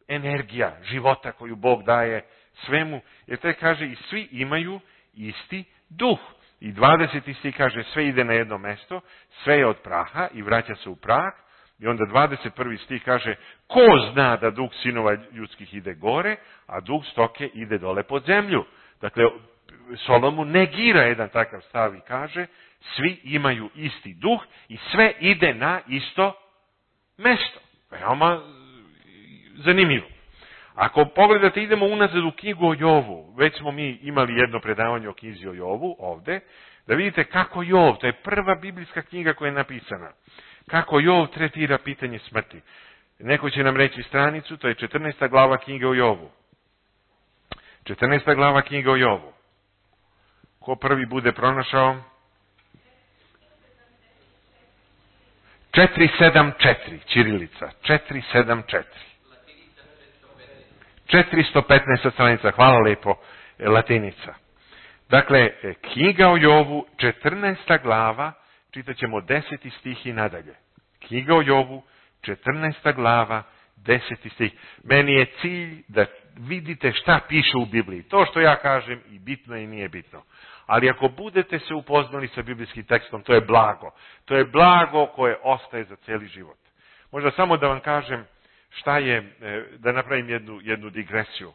energija života koju Bog daje svemu. Jer to kaže i svi imaju isti duh. I dvadeseti stih kaže sve ide na jedno mesto, sve je od praha i vraća se u prah. I onda dvadeset prvi stih kaže ko zna da duh sinova ljudskih ide gore, a duh stoke ide dole pod zemlju. Dakle, Solomon negira jedan takav stav i kaže svi imaju isti duh i sve ide na isto mesto. Veoma zanimljivo. Ako pogledate, idemo unazad u knjigu o Jovu. Već smo mi imali jedno predavanje o knjizi o Jovu ovde. Da vidite kako Jov, to je prva biblijska knjiga koja je napisana. Kako Jov tretira pitanje smrti. Neko će nam reći stranicu, to je četrnaesta glava knjige o Jovu. četrnaesta glava knjige o Jovu. Ko prvi bude pronašao? četiri sedam četiri, ćirilica. četiri sedam četiri. četiristo petnaesta stranica, hvala lepo, latinica. Dakle, knjiga o Jovu, četrnaesta glava, čitat ćemo deseti stih i nadalje. Knjiga o Jovu, četrnaesta glava, deseti stih. Meni je cilj da vidite šta piše u Bibliji. To što ja kažem i bitno i nije bitno. Ali ako budete se upoznali sa biblijskim tekstom, to je blago. To je blago koje ostaje za cijeli život. Možda samo da vam kažem šta je, da napravim jednu, jednu digresiju.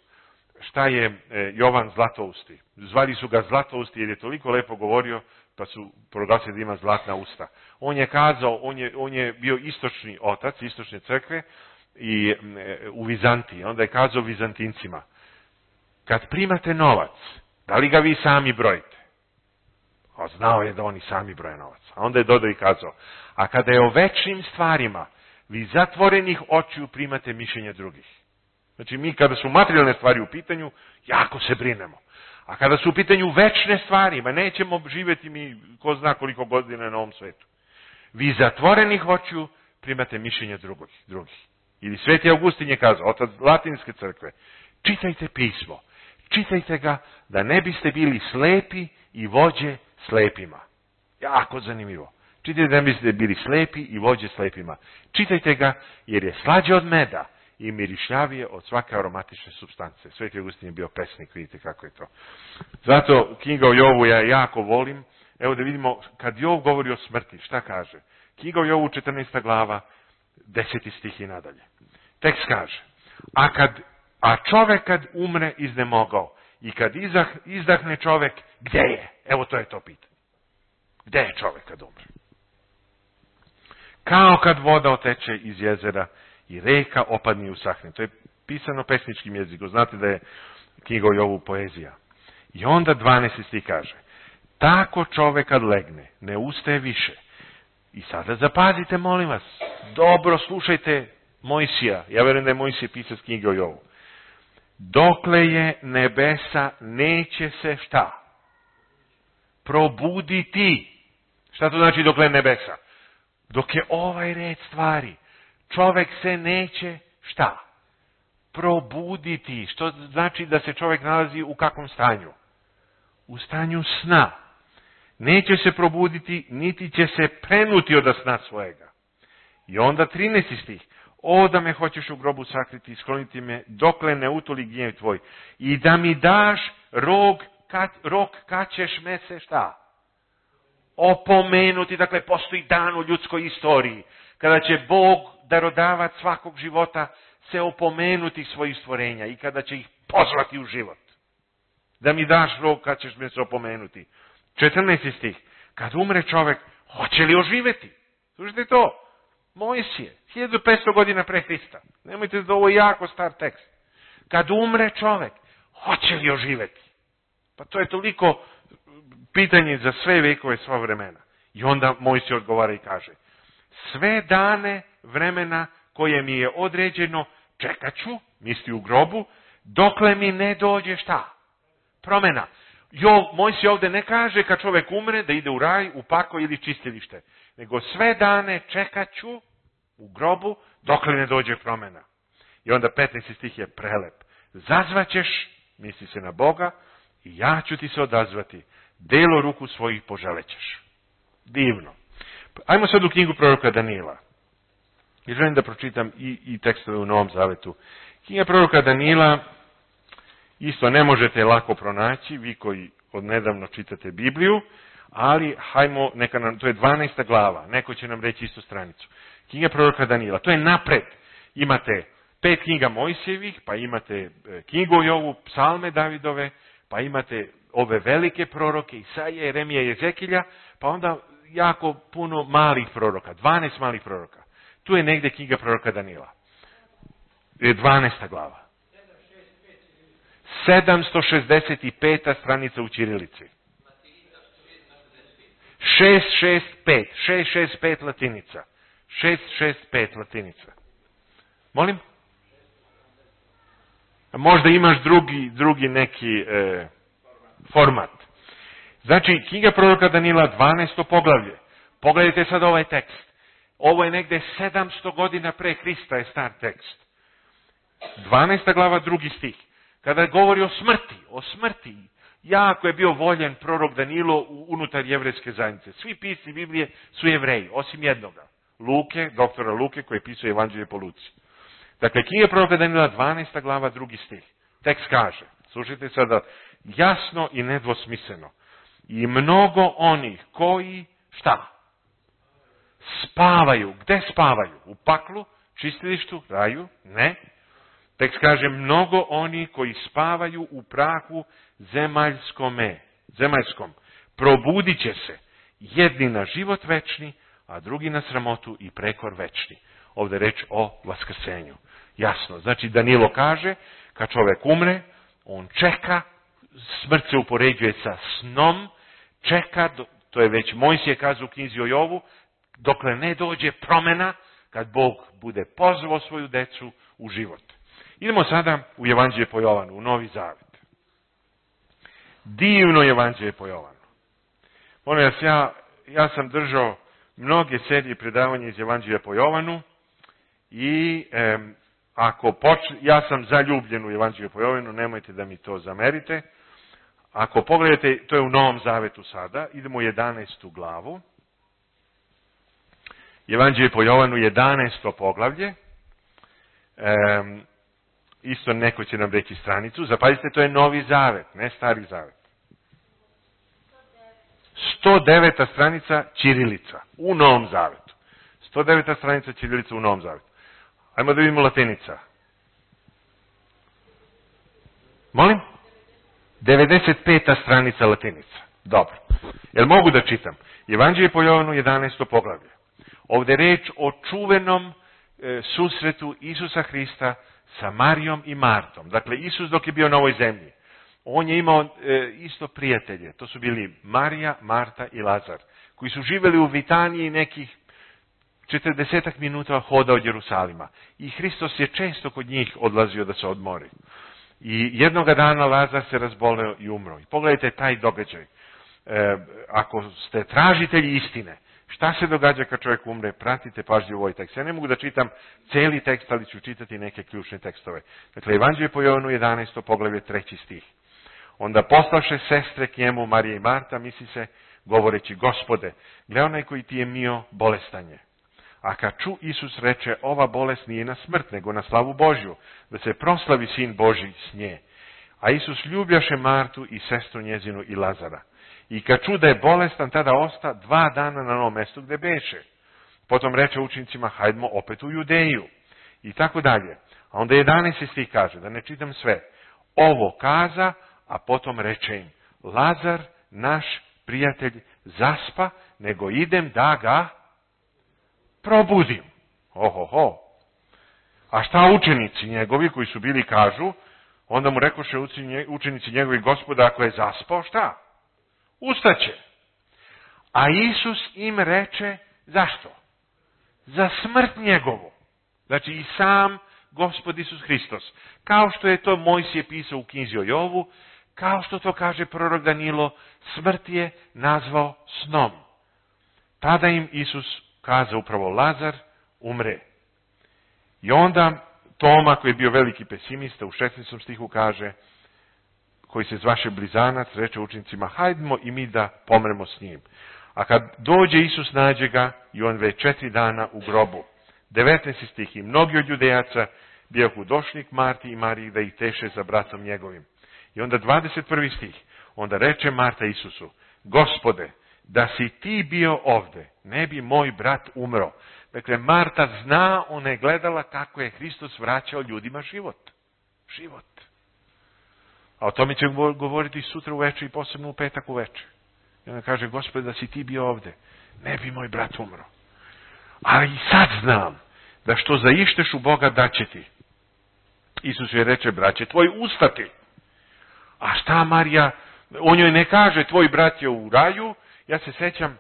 Šta je Jovan Zlatousti? Zvali su ga Zlatousti jer je toliko lepo govorio, pa su proglasili da ima zlatna usta. On je kazao, on je, on je bio istočni otac, istočne crkve i u Vizantiji. Onda je kazao Vizantincima, kad primate novac, da li ga vi sami brojite? A znao je da oni sami broje novac. A onda je dodao i kazao, a kada je o večnim stvarima, vi zatvorenih očiju primate mišljenja drugih. Znači mi kada su materijalne stvari u pitanju, jako se brinemo. A kada su u pitanju večne stvari, ma nećemo živjeti mi ko zna koliko godina na ovom svetu. Vi zatvorenih očiju primate mišljenja drugih. drugih. Ili Sveti Augustin je kazao, otac Latinske crkve, čitajte pismo, čitajte ga da ne biste bili slepi i vođe slepima. Jako zanimljivo. Čitajte da ne biste bili slepi i vođe slepima. Čitajte ga jer je slađe od meda i mirišljavije od svake aromatične supstance. Sveti Augustin je bio pesnik, vidite kako je to. Zato knjiga o Jovu ja jako volim. Evo da vidimo, kad Jov govori o smrti, šta kaže? Knjiga o Jovu, četrnaesta glava, deseti stih i nadalje. Tekst kaže, a, kad, a čovek kad umre iznemogao i kad izdah, izdahne čovek, gde je? Evo to je to pitanje. Gde je čovek kad umre? Kao kad voda oteče iz jezera i reka opadne i usahne. To je pisano pesničkim jezikom. Znate da je knjiga o Jovu poezija. I onda dvanaesti stih kaže, tako čovek kad legne, ne ustaje više. I sada zapazite, molim vas, dobro slušajte Mojsija. Ja verujem da je Mojsije pisac knjige o Jovu. Dokle je nebesa, neće se šta? Probuditi. Šta to znači dokle je nebesa? Dok je ovaj red stvari, čovek se neće šta? probuditi. Što znači da se čovjek nalazi u kakvom stanju? U stanju sna. Neće se probuditi, niti će se prenuti od sna svojega. I onda trinaesti stih. O, da me hoćeš u grobu sakriti i skloniti me, dokle ne utoli gnjev tvoj. I da mi daš rog, kad, rok kad ćeš me se šta? Opomenuti. Dakle, postoji dan u ljudskoj istoriji kada će Bog, darodavac svakog života, se opomenuti svojih stvorenja i kada će ih pozvati u život. Da mi daš rok kad ćeš me se opomenuti. četrnaesti stih. Kad umre čovjek, hoće li oživjeti? Slušajte to. Mojsije, hiljadu petsto godina pre Hrista. Nemojte da ovo je jako star tekst. Kad umre čovjek, hoće li oživjeti? Pa to je toliko pitanje za sve vekove, sva vremena. I onda Mojsije odgovara i kaže, sve dane vremena koje mi je određeno, čekat ću, misli u grobu, dokle mi ne dođe šta? Promjena. Jo, Mojsije ovdje ne kaže kad čovjek umre da ide u raj, u pakao ili čistilište. Nego sve dane čekat ću u grobu dokle ne dođe promjena. I onda petnaesti stih je prelep. Zazvaćeš, misli se na Boga, i ja ću ti se odazvati. Delo ruku svojih poželećeš. Divno. Ajmo sad u knjigu proroka Danila. I želim da pročitam i, i tekstove u Novom Zavetu. Knjiga proroka Danila isto ne možete lako pronaći, vi koji odnedavno čitate Bibliju, ali hajmo, neka nam, to je dvanaesta glava, neko će nam reći istu stranicu. Knjiga proroka Danila, to je napred. Imate pet knjiga Mojsijevih, pa imate knjigu Jovu, psalme Davidove, pa imate ove velike proroke, Isaije, Jeremija i Ezekilja, pa onda jako puno malih proroka, dvanaest malih proroka. Tu je negdje knjiga proroka Danila. Je dvanaesta glava. sedamsto šezdeset peta stranica u ćirilici. šest šest pet. šest šest pet latinica. šest šest pet latinica. Molim? Možda imaš drugi, drugi neki e, format. Znači, knjiga proroka Danila, dvanaesto poglavlje. Pogledajte sad ovaj tekst. Ovo je negde sedamsto godina pre Hrista je star tekst. dvanaesta glava, drugi stih. Kada govori o smrti, o smrti, jako je bio voljen prorok Danilo unutar jevrejske zajednice. Svi pisci Biblije su Jevreji, osim jednoga. Luke, doktora Luke, koji pisao Evanđelje po Luci. Dakle, knjiga proroka Danila, dvanaesta glava, drugi stih. Tekst kaže, slušajte sada, jasno i nedvosmisleno. I mnogo onih koji, šta? Spavaju. Gde spavaju? U paklu, čistilištu, raju? Ne. Tekst kaže, mnogo oni koji spavaju u prahu zemaljskome, zemaljskom, probudit će se, jedni na život večni, a drugi na sramotu i prekor večni. Ovdje je reč o vaskrsenju. Jasno, znači Danilo kaže, kad čovjek umre, on čeka, smrt se upoređuje sa snom, čeka, to je već Mojsije kazao u knjizi o Jovu, dokle ne dođe promjena, kad Bog bude pozvao svoju decu u život. Idemo sada u Evanđelje po Jovanu, u Novi Zavet. Divno Evanđelje po Jovanu. Molim vas, ja, ja sam držao mnoge serije predavanja iz Evanđelja po Jovanu i e, ako počne, ja sam zaljubljen u Evanđelje po Jovanu, nemojte da mi to zamerite. Ako pogledate, to je u Novom Zavetu sada, idemo u jedanaestu glavu. Evanđelje po Jovanu, jedanaesto poglavlje. E, isto neko će nam reći stranicu. Zapazite, to je Novi Zavet, ne Stari Zavet. sto deveta stranica ćirilica u Novom Zavetu. sto deveta stranica ćirilica u Novom Zavetu. Ajmo da vidimo latinica. Molim? devedeset peta stranica latinica. Dobro. Jel mogu da čitam? Evanđelje po Jovanu, jedanaesto poglavlje. Ovdje je reč o čuvenom e, susretu Isusa Hrista sa Marijom i Martom. Dakle, Isus dok je bio na ovoj zemlji, on je imao e, isto prijatelje. To su bili Marija, Marta i Lazar, koji su živjeli u Vitaniji nekih četrdesetak minuta hoda od Jerusalima. I Hristos je često kod njih odlazio da se odmori. I jednoga dana Lazar se razboleo i umro. I pogledajte taj događaj. E, ako ste tražitelji istine, Šta se događa kad čovjek umre? Pratite pažljivo ovaj tekst. Ja ne mogu da čitam cijeli tekst, ali ću čitati neke ključne tekstove. Dakle, Evanđelje po Jovanu jedanaesto poglavlje treći stih. Onda poslavše sestre k njemu, Marija i Marta, misli se, govoreći, Gospode, gle onaj koji ti je mio bolestanje. A kad ču, Isus reče, ova bolest nije na smrt, nego na slavu Božju, da se proslavi sin Božji s nje. A Isus ljubljaše Martu i sestru njezinu i Lazara. I kad ču da je bolestan, tada osta dva dana na onom mjestu gdje beše. Potom reče učenicima, hajdemo opet u Judeju. I tako dalje. A onda jedanaesti stih kaže, da ne čitam sve. Ovo kaza, a potom reče im, Lazar, naš prijatelj, zaspa, nego idem da ga probudim. Ohoho. A šta učenici njegovi koji su bili kažu, onda mu rekoše učenici njegovi, Gospoda, ako je zaspao, šta? Ustaće. A Isus im reče, zašto? Za smrt njegovu. Znači i sam Gospod Isus Hristos. Kao što je to Mojsije pisao u knjizi o Jovu, kao što to kaže prorok Danilo, smrt je nazvao snom. Tada im Isus kaza upravo, Lazar umre. I onda Toma, koji je bio veliki pesimista, u šesnaestom stihu kaže, koji se zvaše blizanac, reče učenicima, hajdemo i mi da pomremo s njim. A kad dođe Isus, nađe ga i on već četiri dana u grobu. devetnaesti stih, i mnogi od Judejaca bijahu došli k Marti i Mariji da ih teše za bratom njegovim. I onda dvadeset prvi stih, onda reče Marta Isusu, Gospode, da si ti bio ovde, ne bi moj brat umro. Dakle, Marta zna, ona je gledala kako je Hristos vraćao ljudima život. Život. A o tome će govoriti sutra uveče i posebno u petak uveče. I ona kaže, Gospode, da si ti bio ovde, ne bi moj brat umro. Ali i sad znam da što zaišteš u Boga da će ti. Isus je reče, braće, tvoj ustati. A šta Marija, on joj ne kaže, tvoj brat je u raju. Ja se sećam,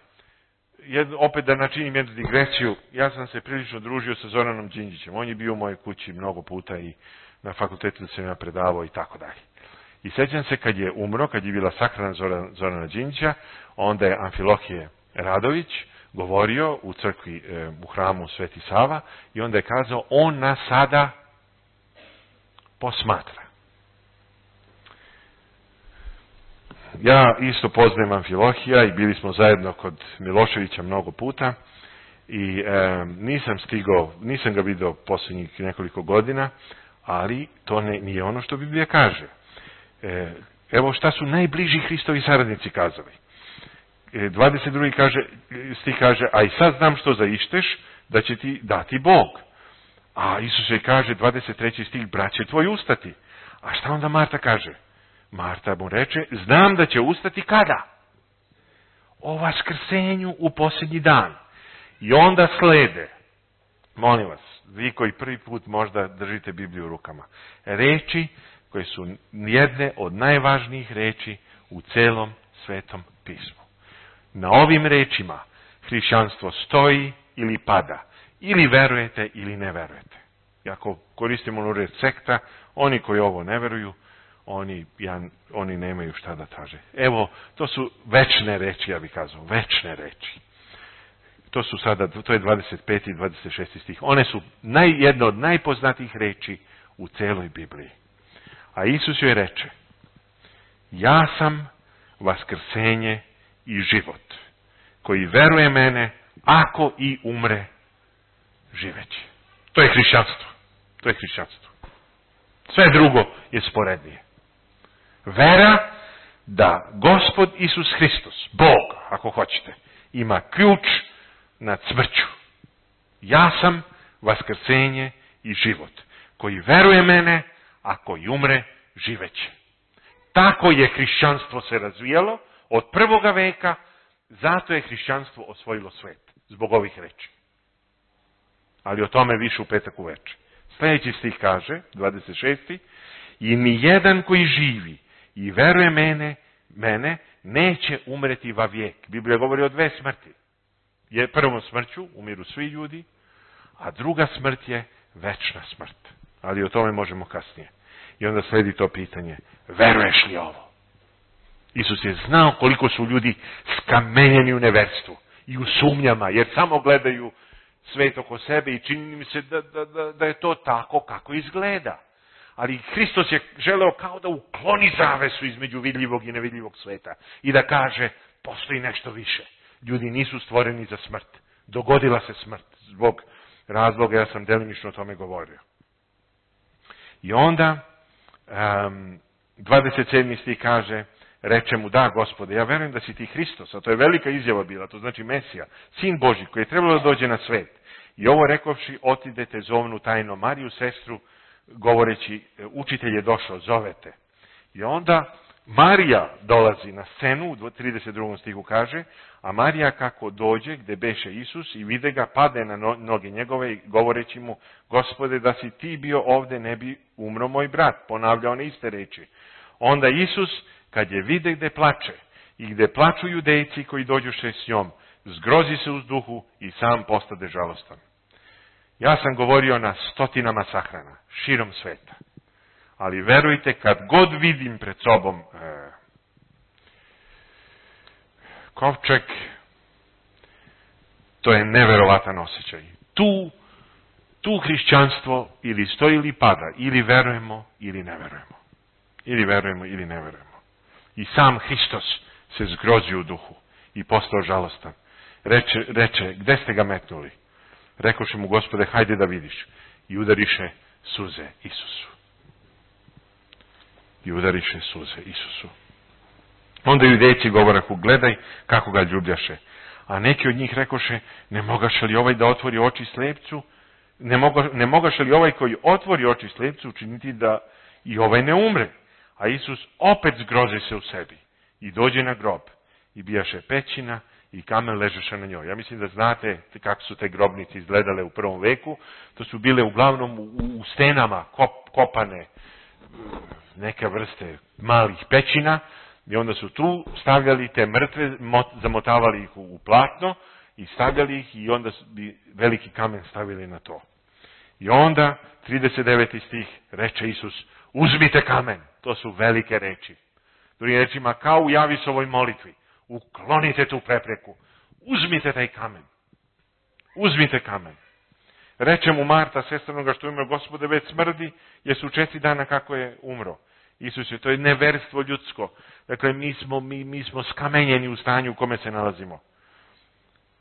jedno, opet da načinim jednu digresiju, ja sam se prilično družio sa Zoranom Đinđićem. On je bio u mojoj kući mnogo puta i na fakultetu da sam ja predavao i tako dalje. I sećam se kad je umro, kad je bila sahrana Zorana, Zorana Đinđića, onda je Amfilohije Radović govorio u crkvi, e, u hramu Sveti Sava, i onda je kazao, on nas sada posmatra. Ja isto poznajem Amfilohija i bili smo zajedno kod Miloševića mnogo puta i e, nisam stigao, nisam ga vidio posljednjih nekoliko godina, ali to ne, nije ono što Biblija kaže. E, evo šta su najbliži Hristovi saradnici kazali. E, dvadeset drugi kaže, stih kaže, a i sad znam što zaišteš, da će ti dati Bog. A Isus je kaže, dvadeset treći stih, braće tvoj ustati. A šta onda Marta kaže? Marta mu reče, znam da će ustati kada? O vaskrsenju u posljednji dan. I onda slede, molim vas, vi koji prvi put možda držite Bibliju u rukama, reči koje su jedne od najvažnijih reči u celom Svetom pismu. Na ovim rečima hrišćanstvo stoji ili pada. Ili verujete ili ne verujete. I ako koristimo onu reč sekta, oni koji ovo ne veruju, oni, ja, oni nemaju šta da traže. Evo, to su večne reči, ja bih kazao, večne reči. To su sada, to je dvadeset peti i dvadeset šesti stih. One su naj, jedna od najpoznatijih reči u celoj Bibliji. A Isus joj reče, ja sam vaskrsenje i život, koji veruje mene, ako i umre, živeći. To je hrišćanstvo. To je hrišćanstvo. Sve drugo je sporednije. Vera da Gospod Isus Hristos, Bog, ako hoćete, ima ključ nad smrću. Ja sam vaskrsenje i život, koji veruje mene, ako i umre, živeće. Tako je hrišćanstvo se razvijalo od prvoga veka, zato je hrišćanstvo osvojilo svet, zbog ovih reči. Ali o tome više u petak uveče. Sljedeći stih kaže, dvadeset šesti, i nijedan koji živi i veruje mene, mene, neće umreti va vijek. Biblija govori o dve smrti. Je prvom smrću umiru svi ljudi, a druga smrt je večna smrt. Ali o tome možemo kasnije. I onda sledi to pitanje, veruješ li ovo? Isus je znao koliko su ljudi skamenjeni u neverstvu i u sumnjama, jer samo gledaju svet oko sebe i čini im se da, da, da, da je to tako kako izgleda. Ali Hristos je želeo kao da ukloni zavesu između vidljivog i nevidljivog sveta i da kaže, postoji nešto više. Ljudi nisu stvoreni za smrt. Dogodila se smrt zbog razloga, ja sam delimično o tome govorio. I onda, um, dvadeset sedmi stih kaže, reče mu, da, Gospode, ja verujem da si ti Hristos, a to je velika izjava bila, to znači Mesija, Sin Božji, koji je trebalo da dođe na svet. I ovo rekovši, otidete, zovnu tajno Mariju, sestru, govoreći, učitelj je došao, zovete. I onda Marija dolazi na scenu, u trideset drugom stihu kaže, a Marija kako dođe gde beše Isus i vide ga, pade na noge njegove i govoreći mu, Gospode, da si ti bio ovde, ne bi umro moj brat. Ponavlja one iste reči. Onda Isus, kad je vide gde plače i gde plaču judejci koji dođuše s njom, zgrozi se uz duhu i sam postade žalostan. Ja sam govorio na stotinama sahrana, širom sveta. Ali verujte, kad god vidim pred sobom e, kovčeg, to je neverovatan osjećaj. Tu, tu hrišćanstvo ili stoji ili pada, ili verujemo ili ne verujemo. Ili verujemo ili ne verujemo. I sam Hristos se zgrozi u duhu i postao žalostan. Reče, reče, gde ste ga metnuli? Rekoše mu, Gospode, hajde da vidiš. I udariše suze Isusu. I udariše suze Isusu. Onda judejci govorahu, gledaj kako ga ljubljaše. A neki od njih rekoše, ne mogaše li ovaj da otvori oči slepcu? Ne, moga, ne mogaše li ovaj koji otvori oči slepcu učiniti da i ovaj ne umre? A Isus opet zgrozi se u sebi i dođe na grob i bijaše pećina i kamen ležeše na njoj. Ja mislim da znate kako su te grobnice izgledale u prvom veku. To su bile uglavnom u, u stenama kop, kopane neke vrste malih pećina i onda su tu stavljali te mrtve, mot, zamotavali ih u, u platno i stavljali ih i onda bi veliki kamen stavili na to. I onda, trideset deveti stih, reče Isus, uzmite kamen. To su velike reči. Drugim rečima, kao u Javisovoj molitvi. Uklonite tu prepreku. Uzmite taj kamen. Uzmite kamen. Reče mu Marta, sestra onoga što umro, Gospode, već smrdi, jer su četiri dana kako je umro. Isus je, to je neverstvo ljudsko. Dakle, mi smo, mi, mi smo skamenjeni u stanju u kome se nalazimo.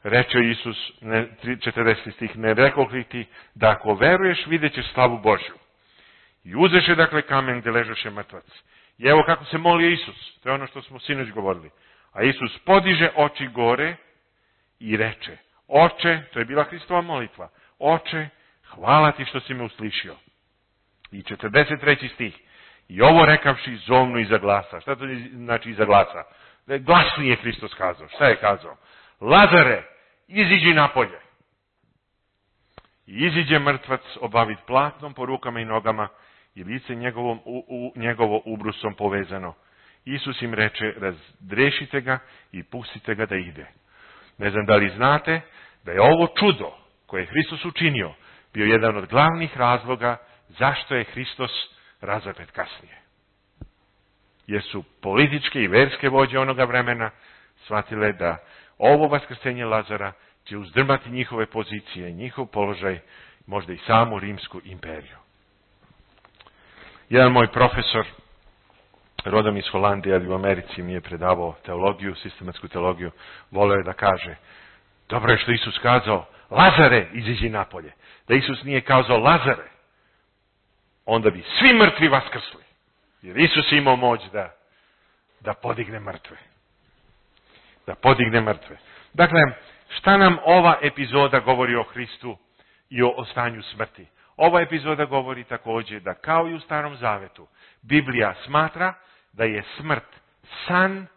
Reče Isus, ne, četrdeseti stih, ne rekoh li ti, da ako veruješ, vidjet ćeš slavu Božju. I uzeše, dakle, kamen gdje ležeše mrtvac. I evo kako se molio Isus. To je ono što smo sinoć govorili. A Isus podiže oči gore i reče, Oče, to je bila Hristova molitva, Oče, hvala ti što si me uslišio. I četrdeset treći stih. I ovo rekavši zovnu iza glasa. Šta to znači iza glasa? Glasnije je Hristos kazao. Šta je kazao? Lazare, iziđi napolje. I iziđe mrtvac obavit platnom po rukama i nogama i lice njegovom, u, u, njegovo ubrusom povezano. Isus im reče, razdrešite ga i pustite ga da ide. Ne znam da li znate da je ovo čudo koje je Hristos učinio bio jedan od glavnih razloga zašto je Hristos razapet kasnije. Jer su političke i verske vođe onoga vremena shvatile da ovo vaskrsenje Lazara će uzdrmati njihove pozicije, njihov položaj, možda i samu Rimsku imperiju. Jedan moj profesor, rodom iz Holandije, ali u Americi mi je predavao teologiju, sistematsku teologiju, voleo je da kaže, dobro je što Isus kazao, Lazare, iziđi napolje. Da Isus nije kazao Lazare, onda bi svi mrtvi vaskrsli. Jer Isus je imao moć da, da podigne mrtve. Da podigne mrtve. Dakle, šta nam ova epizoda govori o Hristu i o, o stanju smrti? Ova epizoda govori također da kao i u Starom Zavetu, Biblija smatra da je smrt san,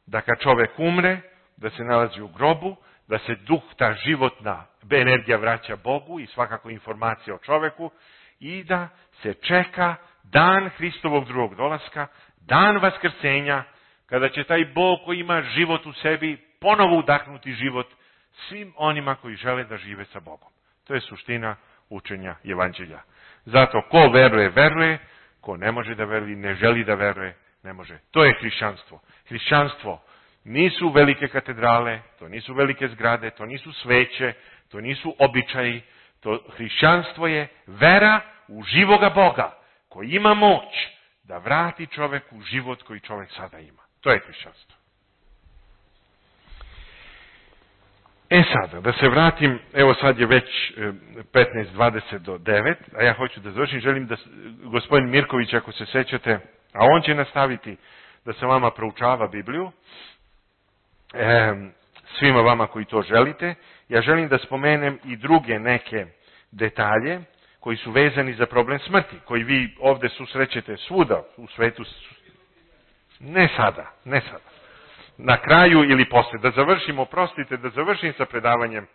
da kad čovjek umre, da se nalazi u grobu, da se duh, ta životna energija vraća Bogu i svakako informacija o čovjeku i da se čeka dan Hristovog drugog dolaska, dan vaskrsenja, kada će taj Bog koji ima život u sebi ponovo udahnuti život svim onima koji žele da žive sa Bogom. To je suština učenja Evanđelja. Zato ko veruje, veruje, ko ne može da veruje, ne želi da veruje, ne može. To je hrišćanstvo. Hrišćanstvo nisu velike katedrale, to nisu velike zgrade, to nisu sveće, to nisu običaji, to hrišćanstvo je vera u živoga Boga, koji ima moć da vrati čoveku život koji čovek sada ima. To je hrišćanstvo. E sada, da se vratim, evo sad je već petnaest dvadeset do devet, a ja hoću da završim, želim da gospodin Mirković, ako se sećate, a on će nastaviti da se vama proučava Bibliju, e, svima vama koji to želite, ja želim da spomenem i druge neke detalje koji su vezani za problem smrti, koji vi ovde susrećete svuda u svetu. Ne sada, ne sada. Na kraju ili posle, da završimo, prostite, da završim sa predavanjem,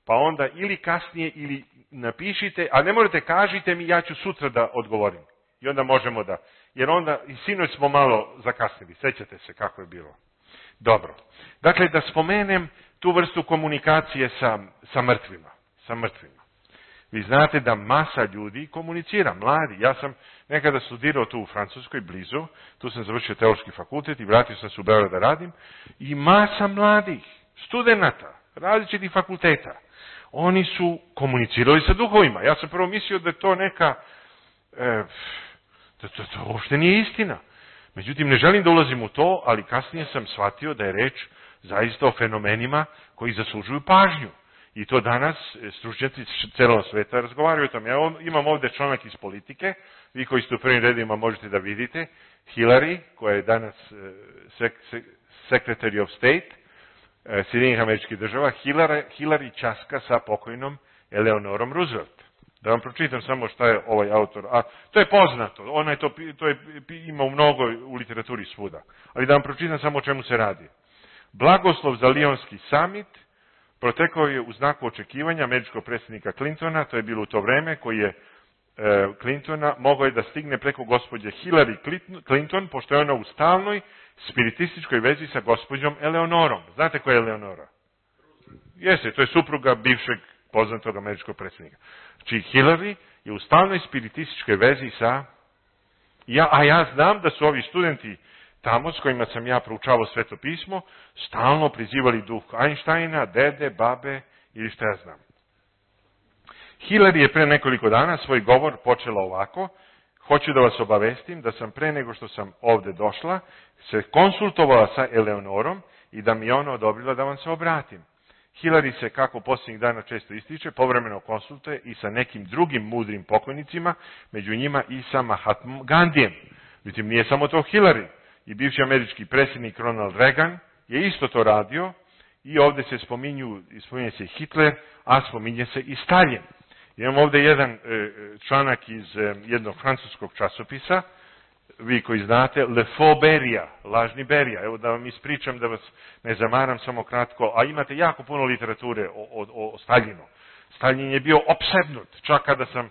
pa onda ili kasnije ili napišite, a ne morate, kažite mi, ja ću sutra da odgovorim. I onda možemo da, jer onda i sinoć smo malo zakasnili, sećate se kako je bilo. Dobro. Dakle, da spomenem tu vrstu komunikacije sa, sa mrtvima, sa mrtvima. Vi znate da masa ljudi komunicira, mladi. Ja sam nekada studirao tu u Francuskoj, blizu, tu sam završio teološki fakultet i vratio sam se u Beograd da radim, i masa mladih, studenata, različitih fakulteta, oni su komunicirali sa duhovima. Ja sam prvo mislio da je to neka, e, da to, to uopšte nije istina. Međutim, ne želim da ulazim u to, ali kasnije sam shvatio da je reč zaista o fenomenima koji zaslužuju pažnju. I to danas stručnjaci celog sveta razgovaraju o tom. Ja imam ovde članak iz Politike, vi koji ste u prvim redima možete da vidite, Hillary, koja je danas sek, sek, Secretary of State Sjedinjenih Američkih Država, Hillary, Hillary časka sa pokojnom Eleonorom Roosevelt. Da vam pročitam samo šta je ovaj autor. A to je poznato, ona je to, to je, ima u mnogo u literaturi svuda. Ali da vam pročitam samo o čemu se radi. Blagoslov za Lionski summit protekao je u znaku očekivanja američkog predsjednika Clintona, to je bilo u to vreme, koji je e, Clintona mogao je da stigne preko gospođe Hillary Clinton, pošto je ona u stalnoj spiritističkoj vezi sa gospođom Eleonorom. Znate ko je Eleonora? Jeste, to je supruga bivšeg poznatog američkog predsjednika. Znači, Hillary je u stalnoj spiritističkoj vezi sa... Ja, a ja znam da su ovi studenti tamo s kojima sam ja proučavao Sveto pismo, stalno prizivali duh Einsteina, dede, babe ili šta ja znam. Hillary je pre nekoliko dana svoj govor počela ovako: hoću da vas obavestim da sam pre nego što sam ovde došla se konsultovala sa Eleonorom i da mi je ona odobrila da vam se obratim. Hillary se, kako posljednjih dana često ističe, povremeno konsultuje i sa nekim drugim mudrim pokojnicima, među njima i sa Mahatmom Gandijem. Međutim, nije samo to Hillary. I bivši američki predsjednik Ronald Reagan je isto to radio, i ovdje se spominju, spominje se Hitler, a spominje se i Stalin. Imam ovdje jedan e, članak iz e, jednog francuskog časopisa, vi koji znate, Le Faux Beria, lažni Berija. Evo da vam ispričam, da vas ne zamaram samo kratko, a imate jako puno literature o, o, o Staljinu. Stalin je bio opsednut, čak kada sam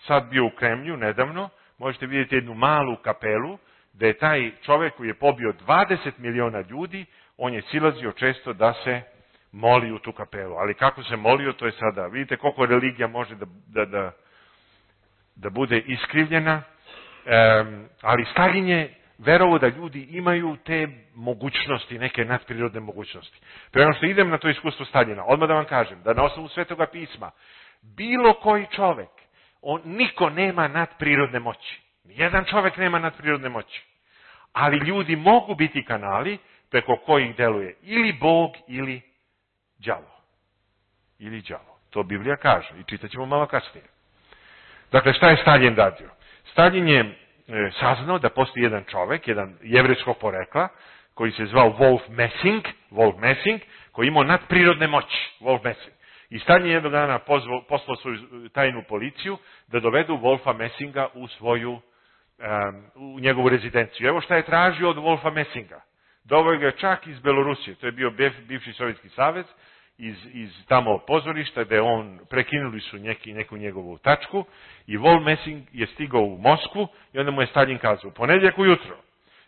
sad bio u Kremlju nedavno, možete vidjeti jednu malu kapelu, da je taj čovjek koji je pobio dvadeset miliona ljudi, on je silazio često da se moli u tu kapelu. Ali kako se molio, to je sada. Vidite koliko religija može da, da, da, da bude iskrivljena. Um, ali Stalin je verovao da ljudi imaju te mogućnosti, neke nadprirodne mogućnosti. Prema što idem na to iskustvo Staljina, odmah da vam kažem, da na osnovu Svetoga pisma, bilo koji čovjek, on, niko nema nadprirodne moći. Nijedan čovjek nema nadprirodne moći. Ali ljudi mogu biti kanali preko kojih deluje ili Bog ili đavo. Ili đavo. To Biblija kaže i čitat ćemo malo kasnije. Dakle, šta je Stalin radio? Stalin je e, saznao da postoji jedan čovjek, jedan jevrejskog porekla, koji se zvao Wolf Messing, Wolf Messing, koji imao nadprirodne moći. Wolf Messing. I Stalin je jednog dana pozvao, poslao svoju tajnu policiju da dovedu Wolfa Messinga u svoju Um, u njegovu rezidenciju. Evo šta je tražio od Wolfa Messinga. Doveo ga čak iz Belorusije, to je bio bivši Sovjetski savez, iz, iz tamo pozorišta gde on, prekinuli su neki, neku njegovu tačku, i Wolf Messing je stigao u Moskvu i onda mu je Stalin kazao: ponedjeljak ujutro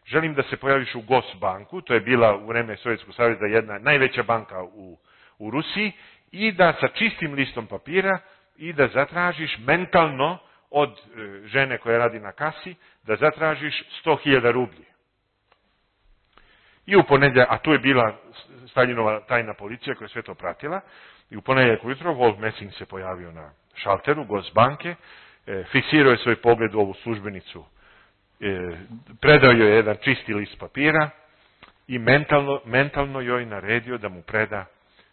želim da se pojaviš u Gosbanku, to je bila u vreme Sovjetskog saveza jedna najveća banka u, u Rusiji, i da sa čistim listom papira i da zatražiš mentalno od e, žene koja radi na kasi, da zatražiš sto hiljada rublji. I u ponedjeljak, a tu je bila Staljinova tajna policija koja je sve to pratila, i u ponedjeljak ujutro Wolf Messing se pojavio na šalteru Gosbanke, e, fiksirao je svoj pogled u ovu službenicu, e, predao joj jedan čisti list papira i mentalno, mentalno joj naredio da mu preda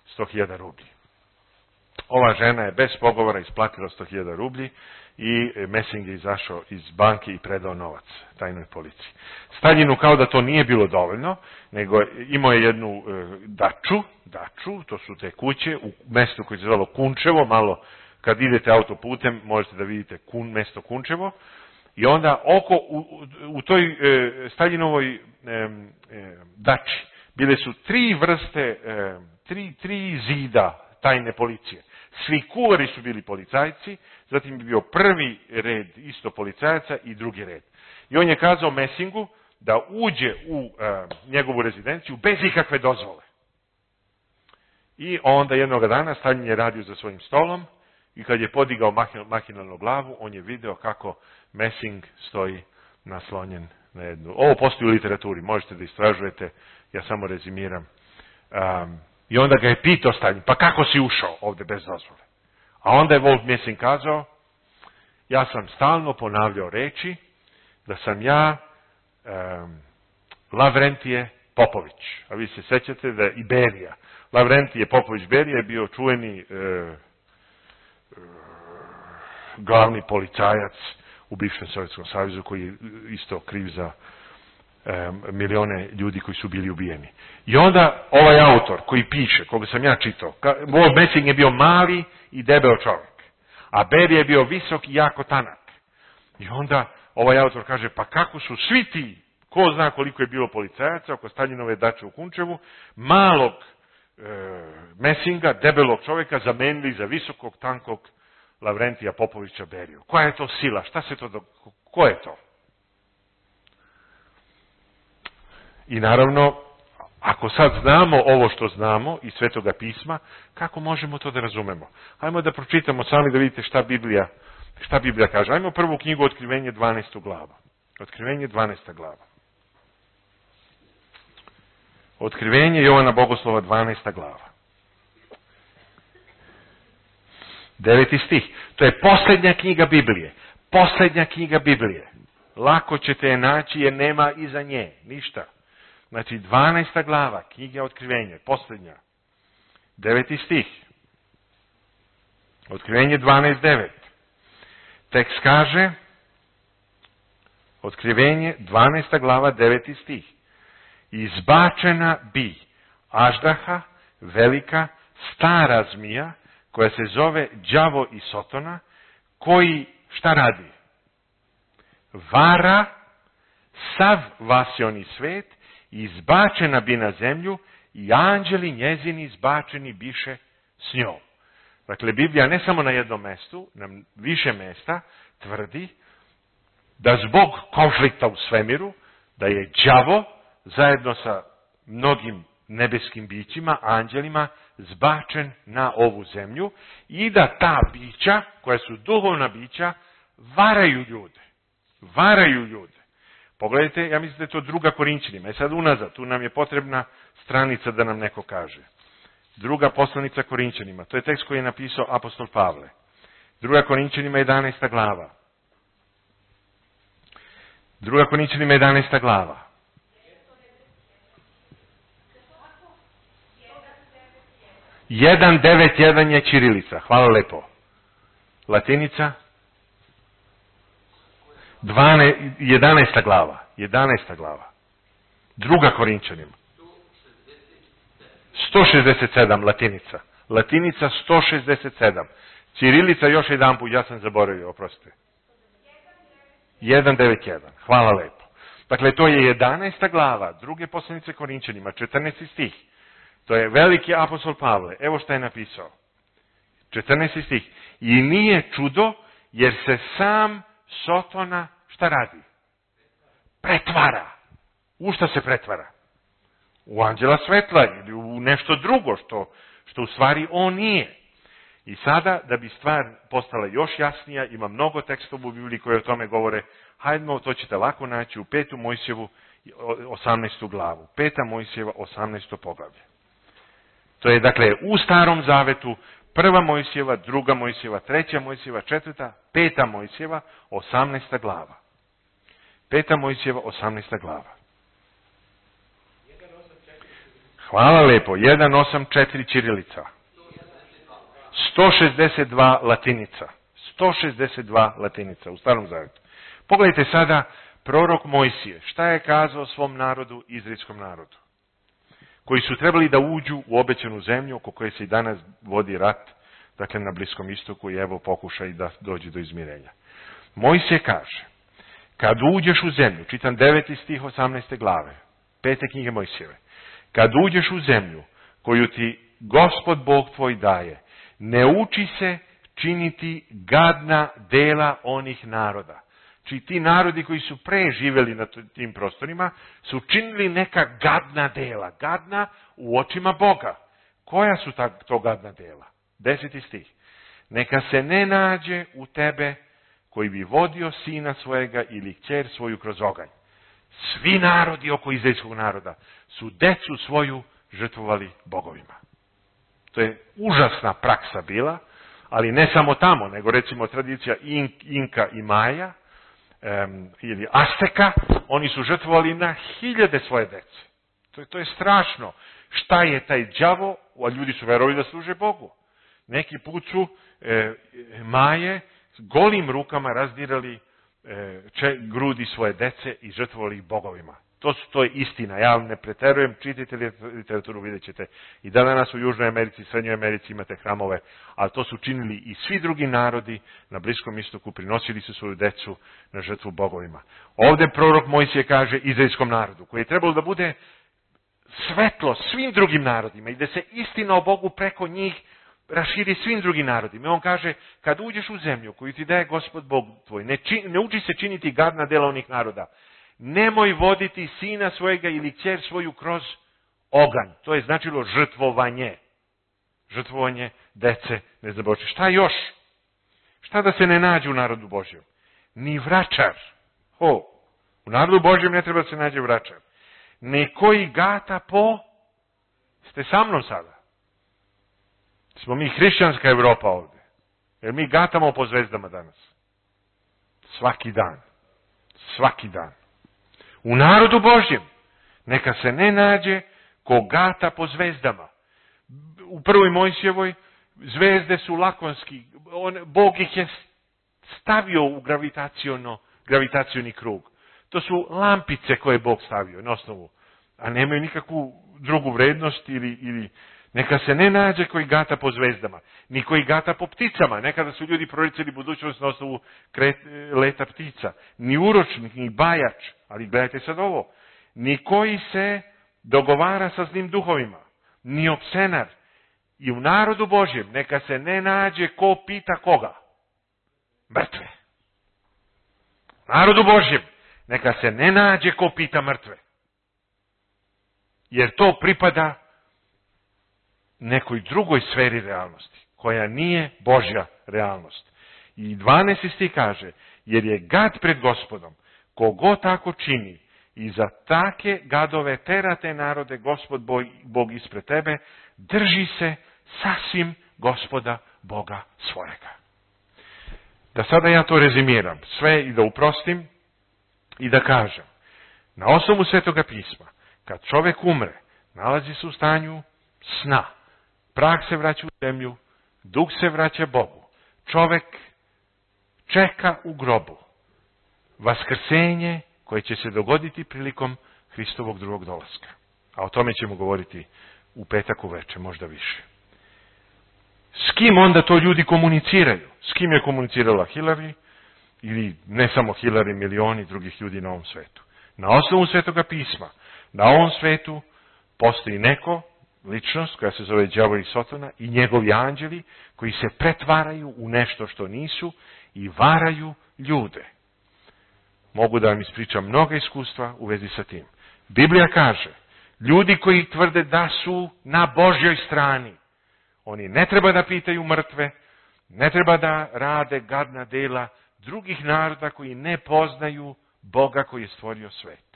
sto hiljada rublji. Ova žena je bez pogovora isplatila sto hiljada rublji i Messing je izašao iz banke i predao novac tajnoj policiji. Staljinu kao da to nije bilo dovoljno, nego imao je jednu e, daču, daču, to su te kuće u mestu koje se zvalo Kunčevo, malo kad idete autoputem možete da vidite kun, mesto Kunčevo, i onda oko, u, u toj e, Staljinovoj e, e, dači bile su tri vrste, e, tri, tri zida tajne policije. Svi kuvari su bili policajci, zatim je bio prvi red isto policajaca i drugi red. I on je kazao Messingu da uđe u uh, njegovu rezidenciju bez ikakve dozvole. I onda jednog dana Staljin je radio za svojim stolom i kad je podigao mahinalnu glavu, on je video kako Messing stoji naslonjen na jednu. Ovo postoji u literaturi, možete da istražujete, ja samo rezimiram. Um, I onda ga je pitao Staljin, pa kako si ušao ovdje bez dozvole? A onda je Wolf Messing kazao, ja sam stalno ponavljao reči da sam ja um, Lavrentije Popović. A vi se sećate da je i Berija. Lavrentije Popović Berija je bio čuveni uh, uh, glavni policajac u bivšem Sovjetskom savezu koji je isto kriv za milione ljudi koji su bili ubijeni. I onda ovaj autor koji piše, koga sam ja čitao, Wolf Messing je bio mali i debeo čovjek, a Berija je bio visok i jako tanak. I onda ovaj autor kaže, pa kako su svi ti, ko zna koliko je bilo policajaca oko Staljinove dače u Kunčevu, malog e, Messinga, debelog čovjeka, zamenili za visokog, tankog Lavrentija Popovića Beriju. Koja je to sila? Šta se to, do... ko je to? I naravno, ako sad znamo ovo što znamo iz Svetoga pisma, kako možemo to da razumemo? Hajmo da pročitamo sami da vidite šta Biblija, šta Biblija kaže. Hajmo prvu knjigu Otkrivenje dvanaesta glava. Otkrivenje dvanaesta glava. Otkrivenje Jovana Bogoslova dvanaesta glava. Deveti stih. To je posljednja knjiga Biblije. Posljednja knjiga Biblije. Lako ćete je naći jer nema iza nje ništa. Znači, dvanaesta glava, knjiga Otkrivenje, posljednja. Deveti stih. Otkrivenje dvanaest devet. Tekst kaže, Otkrivenje dvanaesta glava, deveti stih. Izbačena bi Aždaha, velika, stara zmija, koja se zove đavo i Sotona, koji šta radi? Vara sav vasioni svet, izbačena bi na zemlju i anđeli njezini izbačeni biše s njom. Dakle, Biblija ne samo na jednom mjestu, na više mjesta tvrdi da zbog konflikta u svemiru, da je đavo zajedno sa mnogim nebeskim bićima, anđelima, zbačen na ovu zemlju i da ta bića, koja su duhovna bića, varaju ljude. Varaju ljude. Pogledajte, ja mislim da je to druga Korinćanima. I sad unazad, tu nam je potrebna stranica da nam neko kaže. Druga poslanica Korinćanima. To je tekst koji je napisao apostol Pavle. Druga Korinćanima jedanaesta glava. Druga Korinćanima jedanaesta glava. jedan devet jedan je ćirilica. Hvala lepo. Latinica? jedanaesta glava. jedanaesta glava. Druga Korinćanima. sto šezdeset sedam latinica. Latinica sto šezdeset sedam. Ćirilica još jedan put, ja sam zaboravio, oprostite. jedan devet jedan. Hvala lepo. Dakle, to je jedanaesta glava, druge poslanice Korinćanima, četrnaesti stih. To je veliki apostol Pavle. Evo šta je napisao. četrnaesti stih. I nije čudo, jer se sam Sotona šta radi? Pretvara. U šta se pretvara? U anđela svetla ili u nešto drugo što, što u stvari on nije. I sada, da bi stvar postala još jasnija, ima mnogo tekstova u Bibliji koje o tome govore, hajdemo, to ćete lako naći u petu Mojsjevu osamnaestu glavu. Peta Mojsijeva, osamnaesto poglavlje. To je, dakle, u Starom Zavetu, prva Mojsijeva, druga Mojsijeva, treća Mojsijeva, četvrta, peta Mojsijeva, osamnaesta glava. Peta Mojsijeva, osamnaesta glava. Hvala lepo. jedan osam četiri ćirilica. sto šezdeset dva latinica. sto šezdeset dva latinica u Starom Zavetu. Pogledajte sada prorok Mojsije. Šta je kazao svom narodu, izraelskom narodu? Koji su trebali da uđu u obećanu zemlju, oko koje se i danas vodi rat, dakle na Bliskom istoku, i evo pokušaj da dođe do izmirenja. Mojsije kaže, kad uđeš u zemlju, čitam deveti stih osamnaeste glave, pete knjige Mojsijeve, kad uđeš u zemlju koju ti Gospod Bog tvoj daje, ne uči se činiti gadna dela onih naroda. Či ti narodi koji su pre živjeli na tim prostorima su činili neka gadna dela. Gadna u očima Boga. Koja su ta, to gadna dela? Deseti stih. Neka se ne nađe u tebe koji bi vodio sina svojega ili kćer svoju kroz oganj. Svi narodi oko izraelskog naroda su decu svoju žrtvovali bogovima. To je užasna praksa bila, ali ne samo tamo, nego recimo tradicija Inka i Maja, um, ili Azteka, oni su žrtvovali na hiljade svoje dece. To je, to je strašno. Šta je taj đavo, a ljudi su verovali da služe Bogu. Neki put su e, Maje golim rukama razdirali e, če, grudi svoje dece i žrtvovali ih bogovima. To, su, to je istina. Ja vam ne preterujem, čitajte literaturu, vidjet ćete. I da danas u Južnoj Americi, Srednjoj Americi imate hramove, ali to su činili i svi drugi narodi na Bliskom istoku, prinosili su svoju decu na žrtvu bogovima. Ovdje prorok Mojsije kaže izraelskom narodu, koji je trebalo da bude svetlo svim drugim narodima i da se istina o Bogu preko njih raširi svim drugim narodima. I on kaže, kad uđeš u zemlju koju ti daje Gospod Bog tvoj, ne, čin, ne uči se činiti gadna dela onih naroda. Nemoj voditi sina svojega ili kćer svoju kroz oganj. To je značilo žrtvovanje. Žrtvovanje dece, ne zaboči. Šta još? Šta da se ne nađe u narodu Božjem? Ni vračar. Ho, u narodu Božjem ne treba da se nađe vračar. Nekoji gata po... Ste sa mnom sada? Smo mi hrišćanska Evropa ovdje. Jer mi gatamo po zvezdama danas. Svaki dan. Svaki dan. U narodu Božjem neka se ne nađe ko gata po zvezdama. U prvoj Mojsijevoj zvezde su lakonski. On, Bog ih je stavio u gravitaciono, gravitacioni krug. To su lampice koje je Bog stavio na osnovu. A nemaju nikakvu drugu vrednost ili, ili neka se ne nađe koji gata po zvezdama. Ni koji gata po pticama. Nekada su ljudi proricali budućnost na osnovu kret, leta ptica. Ni uročnik, ni bajač. Ali gledajte sad ovo. Ni koji se dogovara sa zlim duhovima. Ni opsenar. I u narodu Božjem neka se ne nađe ko pita koga. Mrtve. U narodu Božjem neka se ne nađe ko pita mrtve. Jer to pripada nekoj drugoj sferi realnosti, koja nije Božja realnost. I dvanaesti stih kaže, jer je gad pred Gospodom, kogo tako čini, i za take gadove terate narode Gospod Bog ispred tebe, drži se sasvim Gospoda Boga svojega. Da sada ja to rezimiram, sve i da uprostim i da kažem, na osnovu Svetoga pisma, kad čovjek umre, nalazi se u stanju sna. Prah se vraća u zemlju, duh se vraća Bogu. Čovjek čeka u grobu vaskrsenje koje će se dogoditi prilikom Hristovog drugog dolaska. A o tome ćemo govoriti u petak uveče, možda više. S kim onda to ljudi komuniciraju? S kim je komunicirala Hillary? Ili ne samo Hillary, milioni drugih ljudi na ovom svetu. Na osnovu Svetoga pisma, na ovom svetu postoji neko, ličnost koja se zove đavo i Sotona i njegovi anđeli koji se pretvaraju u nešto što nisu i varaju ljude. Mogu da vam ispričam mnoga iskustva u vezi sa tim. Biblija kaže, ljudi koji tvrde da su na Božjoj strani, oni ne treba da pitaju mrtve, ne treba da rade gadna dela drugih naroda koji ne poznaju Boga koji je stvorio svet.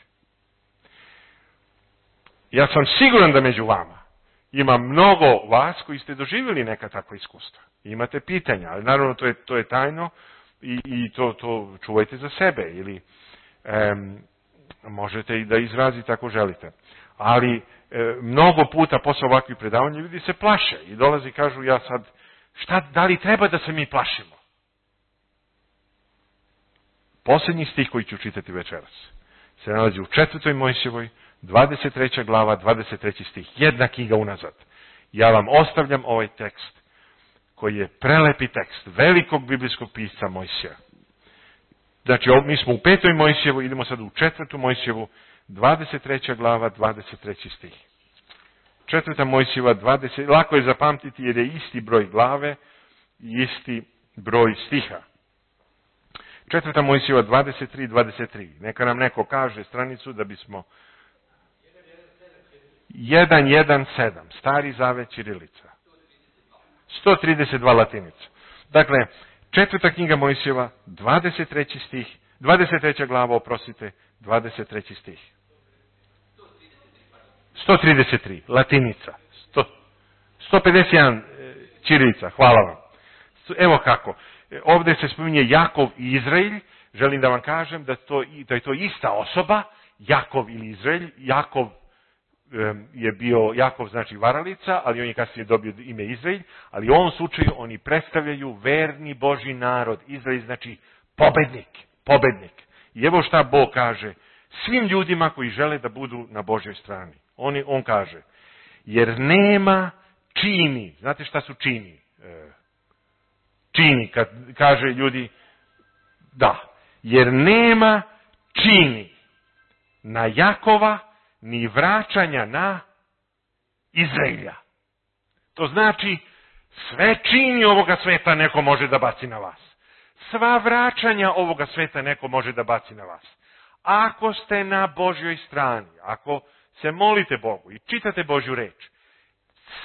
Ja sam siguran da među vama ima mnogo vas koji ste doživjeli neka takva iskustva. Imate pitanja, ali naravno to je, to je tajno i, i to, to čuvajte za sebe ili em, možete i da izrazite ako želite. Ali e, mnogo puta posle ovakvih predavanja ljudi se plaše i dolazi i kažu ja sad, šta, da li treba da se mi plašimo? Posljednji stih koji ću čitati večeras se nalazi u četvrtoj Mojsijevoj, dvadeset treća glava, dvadeset treći stih, jedna knjiga unazad. Ja vam ostavljam ovaj tekst koji je prelepi tekst velikog biblijskog pisca Mojsija. Znači, mi smo u petoj Mojsijevu, idemo sad u četvrtu Mojsijevu, dvadeset treća glava, dvadeset treći stih. Četvrta Mojsijeva, dvadeset, lako je zapamtiti jer je isti broj glave i isti broj stiha. Četvrta Mojsijeva, dvadeset tri, dvadeset tri. Neka nam neko kaže stranicu da bismo... jedan jedan sedam, Stari zavet ćirilica. sto trideset dva latinica. Dakle, četvrta knjiga Mojsijeva, dvadeset treći stih, dvadeset treća glava, oprostite, dvadeset treći stih. sto trideset tri, latinica. sto pedeset jedan ćirilica, hvala vam. Evo kako, ovdje se spominje Jakov i Izrael, želim da vam kažem da, to, da je to ista osoba, Jakov ili Izrael. Jakov je bio, Jakov znači varalica, ali on je kasnije dobio ime Izrael, ali u ovom slučaju oni predstavljaju verni Božji narod. Izrael znači pobednik, pobednik. I evo šta Bog kaže svim ljudima koji žele da budu na Božjoj strani. On, on kaže, jer nema čini, znate šta su čini? Čini, kad kaže ljudi, da, jer nema čini na Jakova, ni vraćanja na Izraelja. To znači, sve čini ovoga sveta neko može da baci na vas. Sva vraćanja ovoga sveta neko može da baci na vas. Ako ste na Božjoj strani, ako se molite Bogu i čitate Božju reč,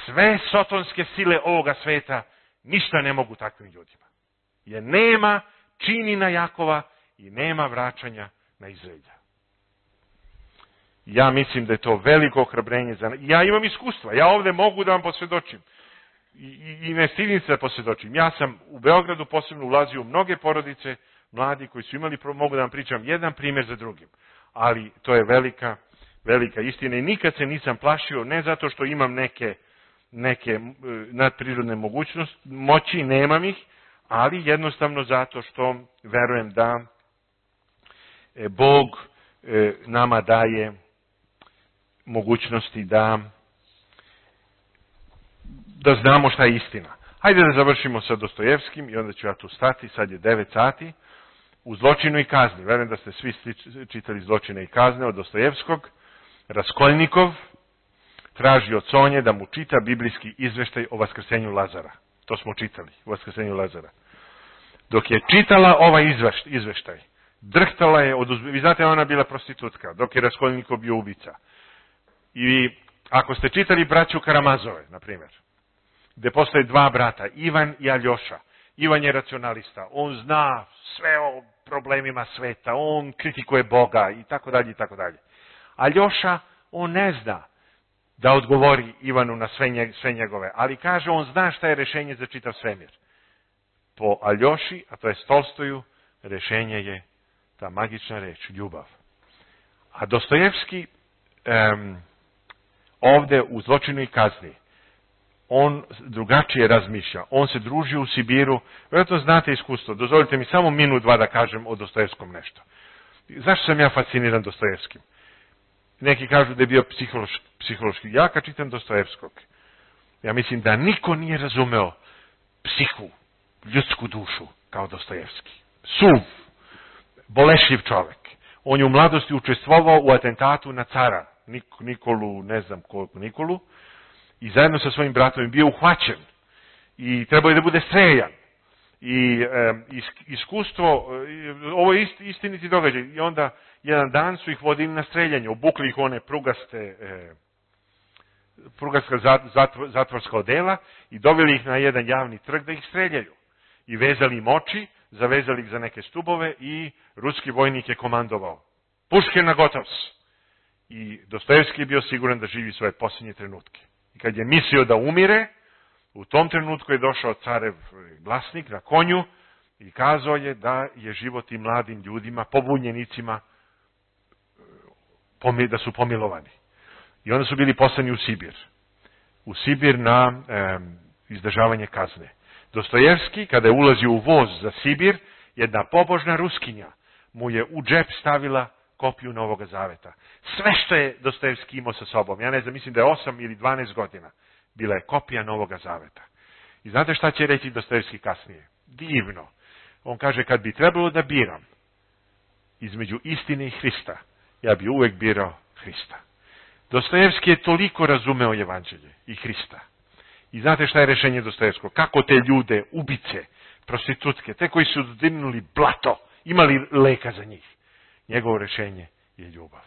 sve sotonske sile ovoga sveta ništa ne mogu takvim ljudima. Jer nema čini na Jakova i nema vraćanja na Izraelja. Ja mislim da je to veliko ohrabrenje za nas. Ja imam iskustva, ja ovdje mogu da vam posvjedočim. I, i, i ne stidim se da posvjedočim. Ja sam u Beogradu posebno ulazio u mnoge porodice, mladi koji su imali, mogu da vam pričam jedan primjer za drugim. Ali to je velika, velika istina i nikad se nisam plašio, ne zato što imam neke, neke nadprirodne mogućnosti, moći, nemam ih, ali jednostavno zato što verujem da Bog nama daje mogućnosti da da znamo šta je istina. Hajde da završimo sa Dostojevskim i onda ću ja tu stati, sad je devet sati, u Zločinu i kazni. Verujem da ste svi čitali Zločine i kazne od Dostojevskog. Raskolnikov traži od Sonje da mu čita biblijski izveštaj o vaskrsenju Lazara. To smo čitali, o vaskrsenju Lazara. Dok je čitala ovaj izveštaj, drhtala je od uzbe... Vi znate, ona bila prostitutka, dok je Raskolnikov bio ubica. I ako ste čitali braću Karamazove, na primjer, gde postoje dva brata, Ivan i Aljoša. Ivan je racionalista, on zna sve o problemima sveta, on kritikuje Boga i tako dalje i tako dalje. Aljoša, on ne zna da odgovori Ivanu na sve, njeg, sve njegove, ali kaže, on zna šta je rešenje za čitav svemir. Po Aljoši, a to je Tolstoju, rešenje je ta magična reč, ljubav. A Dostojevski um, ovde u Zločinu i kazni, on drugačije razmišlja. On se druži u Sibiru. Vjerojatno znate iskustvo. Dozvolite mi samo minut, dva da kažem o Dostojevskom nešto. Zašto sam ja fasciniran Dostojevskim? Neki kažu da je bio psihološki. psihološki. Ja kad čitam Dostojevskog, ja mislim da niko nije razumeo psihu, ljudsku dušu kao Dostojevski. Suv, bolešljiv čovjek. On je u mladosti učestvovao u atentatu na cara Nik, Nikolu, ne znam koliko Nikolu, i zajedno sa svojim bratom je bio uhvaćen i trebao je da bude streljan. I e, iskustvo, e, ovo je ist, istiniti događaj. I onda jedan dan su ih vodili na streljanje, obukli ih one prugaste, e, prugaska zatvor, zatvorska odela i doveli ih na jedan javni trg da ih streljaju. I vezali im oči, zavezali ih za neke stubove i ruski vojnik je komandovao. Puške na gotovs. i Dostojevski je bio siguran da živi svoje posljednje trenutke. I kad je mislio da umire, u tom trenutku je došao carev glasnik na konju i kazao je da je život i mladim ljudima, pobunjenicima, da su pomilovani. I onda su bili poslani u Sibir. U Sibir na e, izdržavanje kazne. Dostojevski, kada je ulazio u voz za Sibir, jedna pobožna Ruskinja mu je u džep stavila kopiju Novoga Zaveta. Sve što je Dostojevski imao sa sobom, ja ne znam, mislim da je osam ili dvanaest godina, bila je kopija Novoga Zaveta. I znate šta će reći Dostojevski kasnije? Divno. On kaže, kad bi trebalo da biram između istine i Hrista, ja bi uvek birao Hrista. Dostojevski je toliko razumeo evanđelje i Hrista. I znate šta je rešenje Dostojevskog? Kako te ljude, ubice, prostitutke, te koji su dodirnuli blato, imali leka za njih. Njegovo rešenje je ljubav.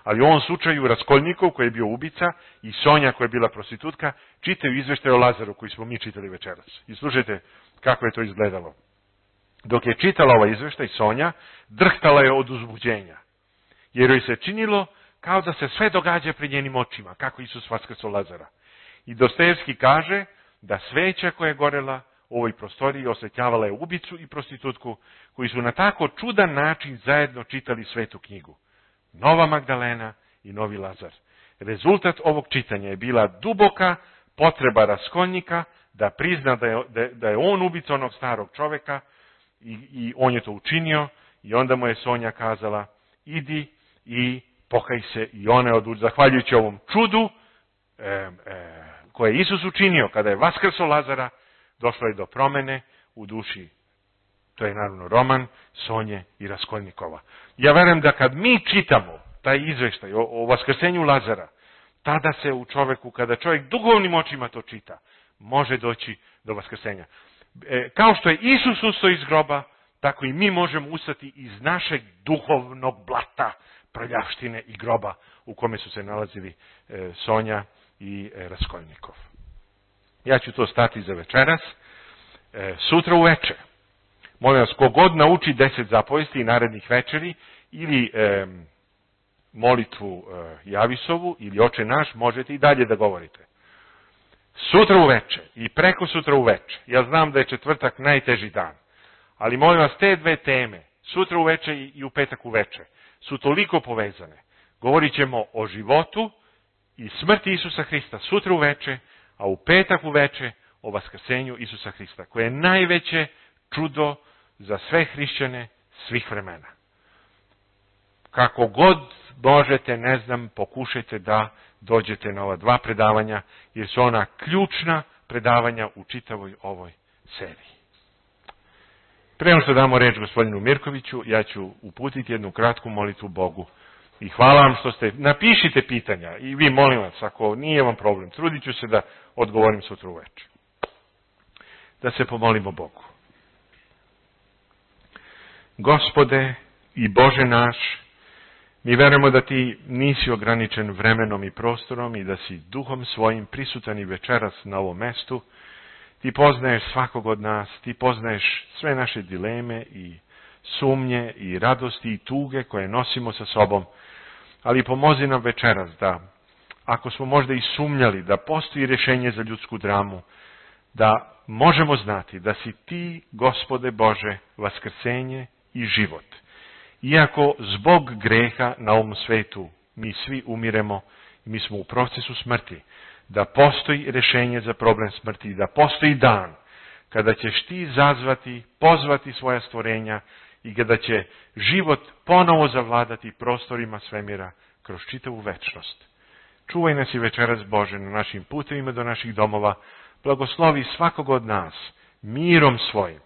Ali u ovom slučaju Raskolnikov, koji je bio ubica, i Sonja, koja je bila prostitutka, čitaju izveštaj o Lazaru, koji smo mi čitali večeras. I slušajte kako je to izgledalo. Dok je čitala ovaj izveštaj, Sonja drhtala je od uzbuđenja. Jer joj se činilo kao da se sve događa pred njenim očima, kako Isus vaskrsao Lazara. I Dostojevski kaže da sveća koja je gorela u ovoj prostoriji osvetljavala je ubicu i prostitutku, koji su na tako čudan način zajedno čitali svetu knjigu. Nova Magdalena i novi Lazar. Rezultat ovog čitanja je bila duboka potreba Raskolnika da prizna da je, da, da je on ubica onog starog čoveka i, i on je to učinio i onda mu je Sonja kazala idi i pokaj se i ona je odlučila, zahvaljujući ovom čudu e, e, koje je Isus učinio kada je vaskrsao Lazara, došlo je do promene u duši. To je naravno roman Sonje i Raskolnikova. Ja verujem da kad mi čitamo taj izveštaj o, o vaskrsenju Lazara, tada se u čoveku, kada čovjek duhovnim očima to čita, može doći do vaskrsenja. E, kao što je Isus ustao iz groba, tako i mi možemo ustati iz našeg duhovnog blata, prljavštine i groba u kome su se nalazili e, Sonja i e, Raskolnikov. Ja ću to stati za večeras. E, sutra uveče, molim vas, kogod nauči deset zapovesti i narednih večeri, ili e, molitvu e, Javisovu, ili Oče naš, možete i dalje da govorite. Sutra uveče i preko sutra uveče, ja znam da je četvrtak najteži dan, ali molim vas, te dve teme, sutra uveče i u petak uveče, su toliko povezane. Govorit ćemo o životu i smrti Isusa Hrista sutra uveče, a u petak uveče o vaskrsenju Isusa Hrista, koje je najveće čudo za sve hrišćane svih vremena. Kako god možete, ne znam, pokušajte da dođete na ova dva predavanja, jer su ona ključna predavanja u čitavoj ovoj seriji. Pre nego što damo reč gospodinu Mirkoviću, ja ću uputiti jednu kratku molitvu Bogu. I hvala vam što ste, napišite pitanja i vi molim vas, ako nije vam problem, trudit ću se da odgovorim sutra uveče. Da se pomolimo Bogu. Gospode i Bože naš, mi verujemo da ti nisi ograničen vremenom i prostorom i da si duhom svojim prisutan i večeras na ovom mestu. Ti poznaješ svakog od nas, ti poznaješ sve naše dileme i sumnje i radosti i tuge koje nosimo sa sobom, ali pomozi nam večeras da, ako smo možda i sumnjali da postoji rješenje za ljudsku dramu, da možemo znati da si ti, Gospode Bože, vaskrsenje i život. Iako zbog greha na ovom svetu mi svi umiremo, mi smo u procesu smrti, da postoji rješenje za problem smrti, da postoji dan kada ćeš ti zazvati, pozvati svoja stvorenja i kada će život ponovo zavladati prostorima svemira kroz čitavu večnost. Čuvaj nas i večeras, Bože, na našim putevima do naših domova, blagoslovi svakog od nas mirom svojim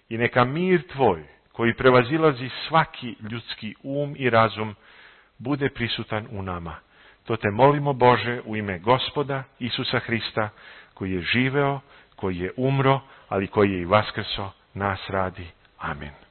i neka mir tvoj, koji prevazilazi svaki ljudski um i razum, bude prisutan u nama. To te molimo, Bože, u ime Gospoda Isusa Hrista, koji je živeo, koji je umro, ali koji je i vaskrso nas radi. Amen.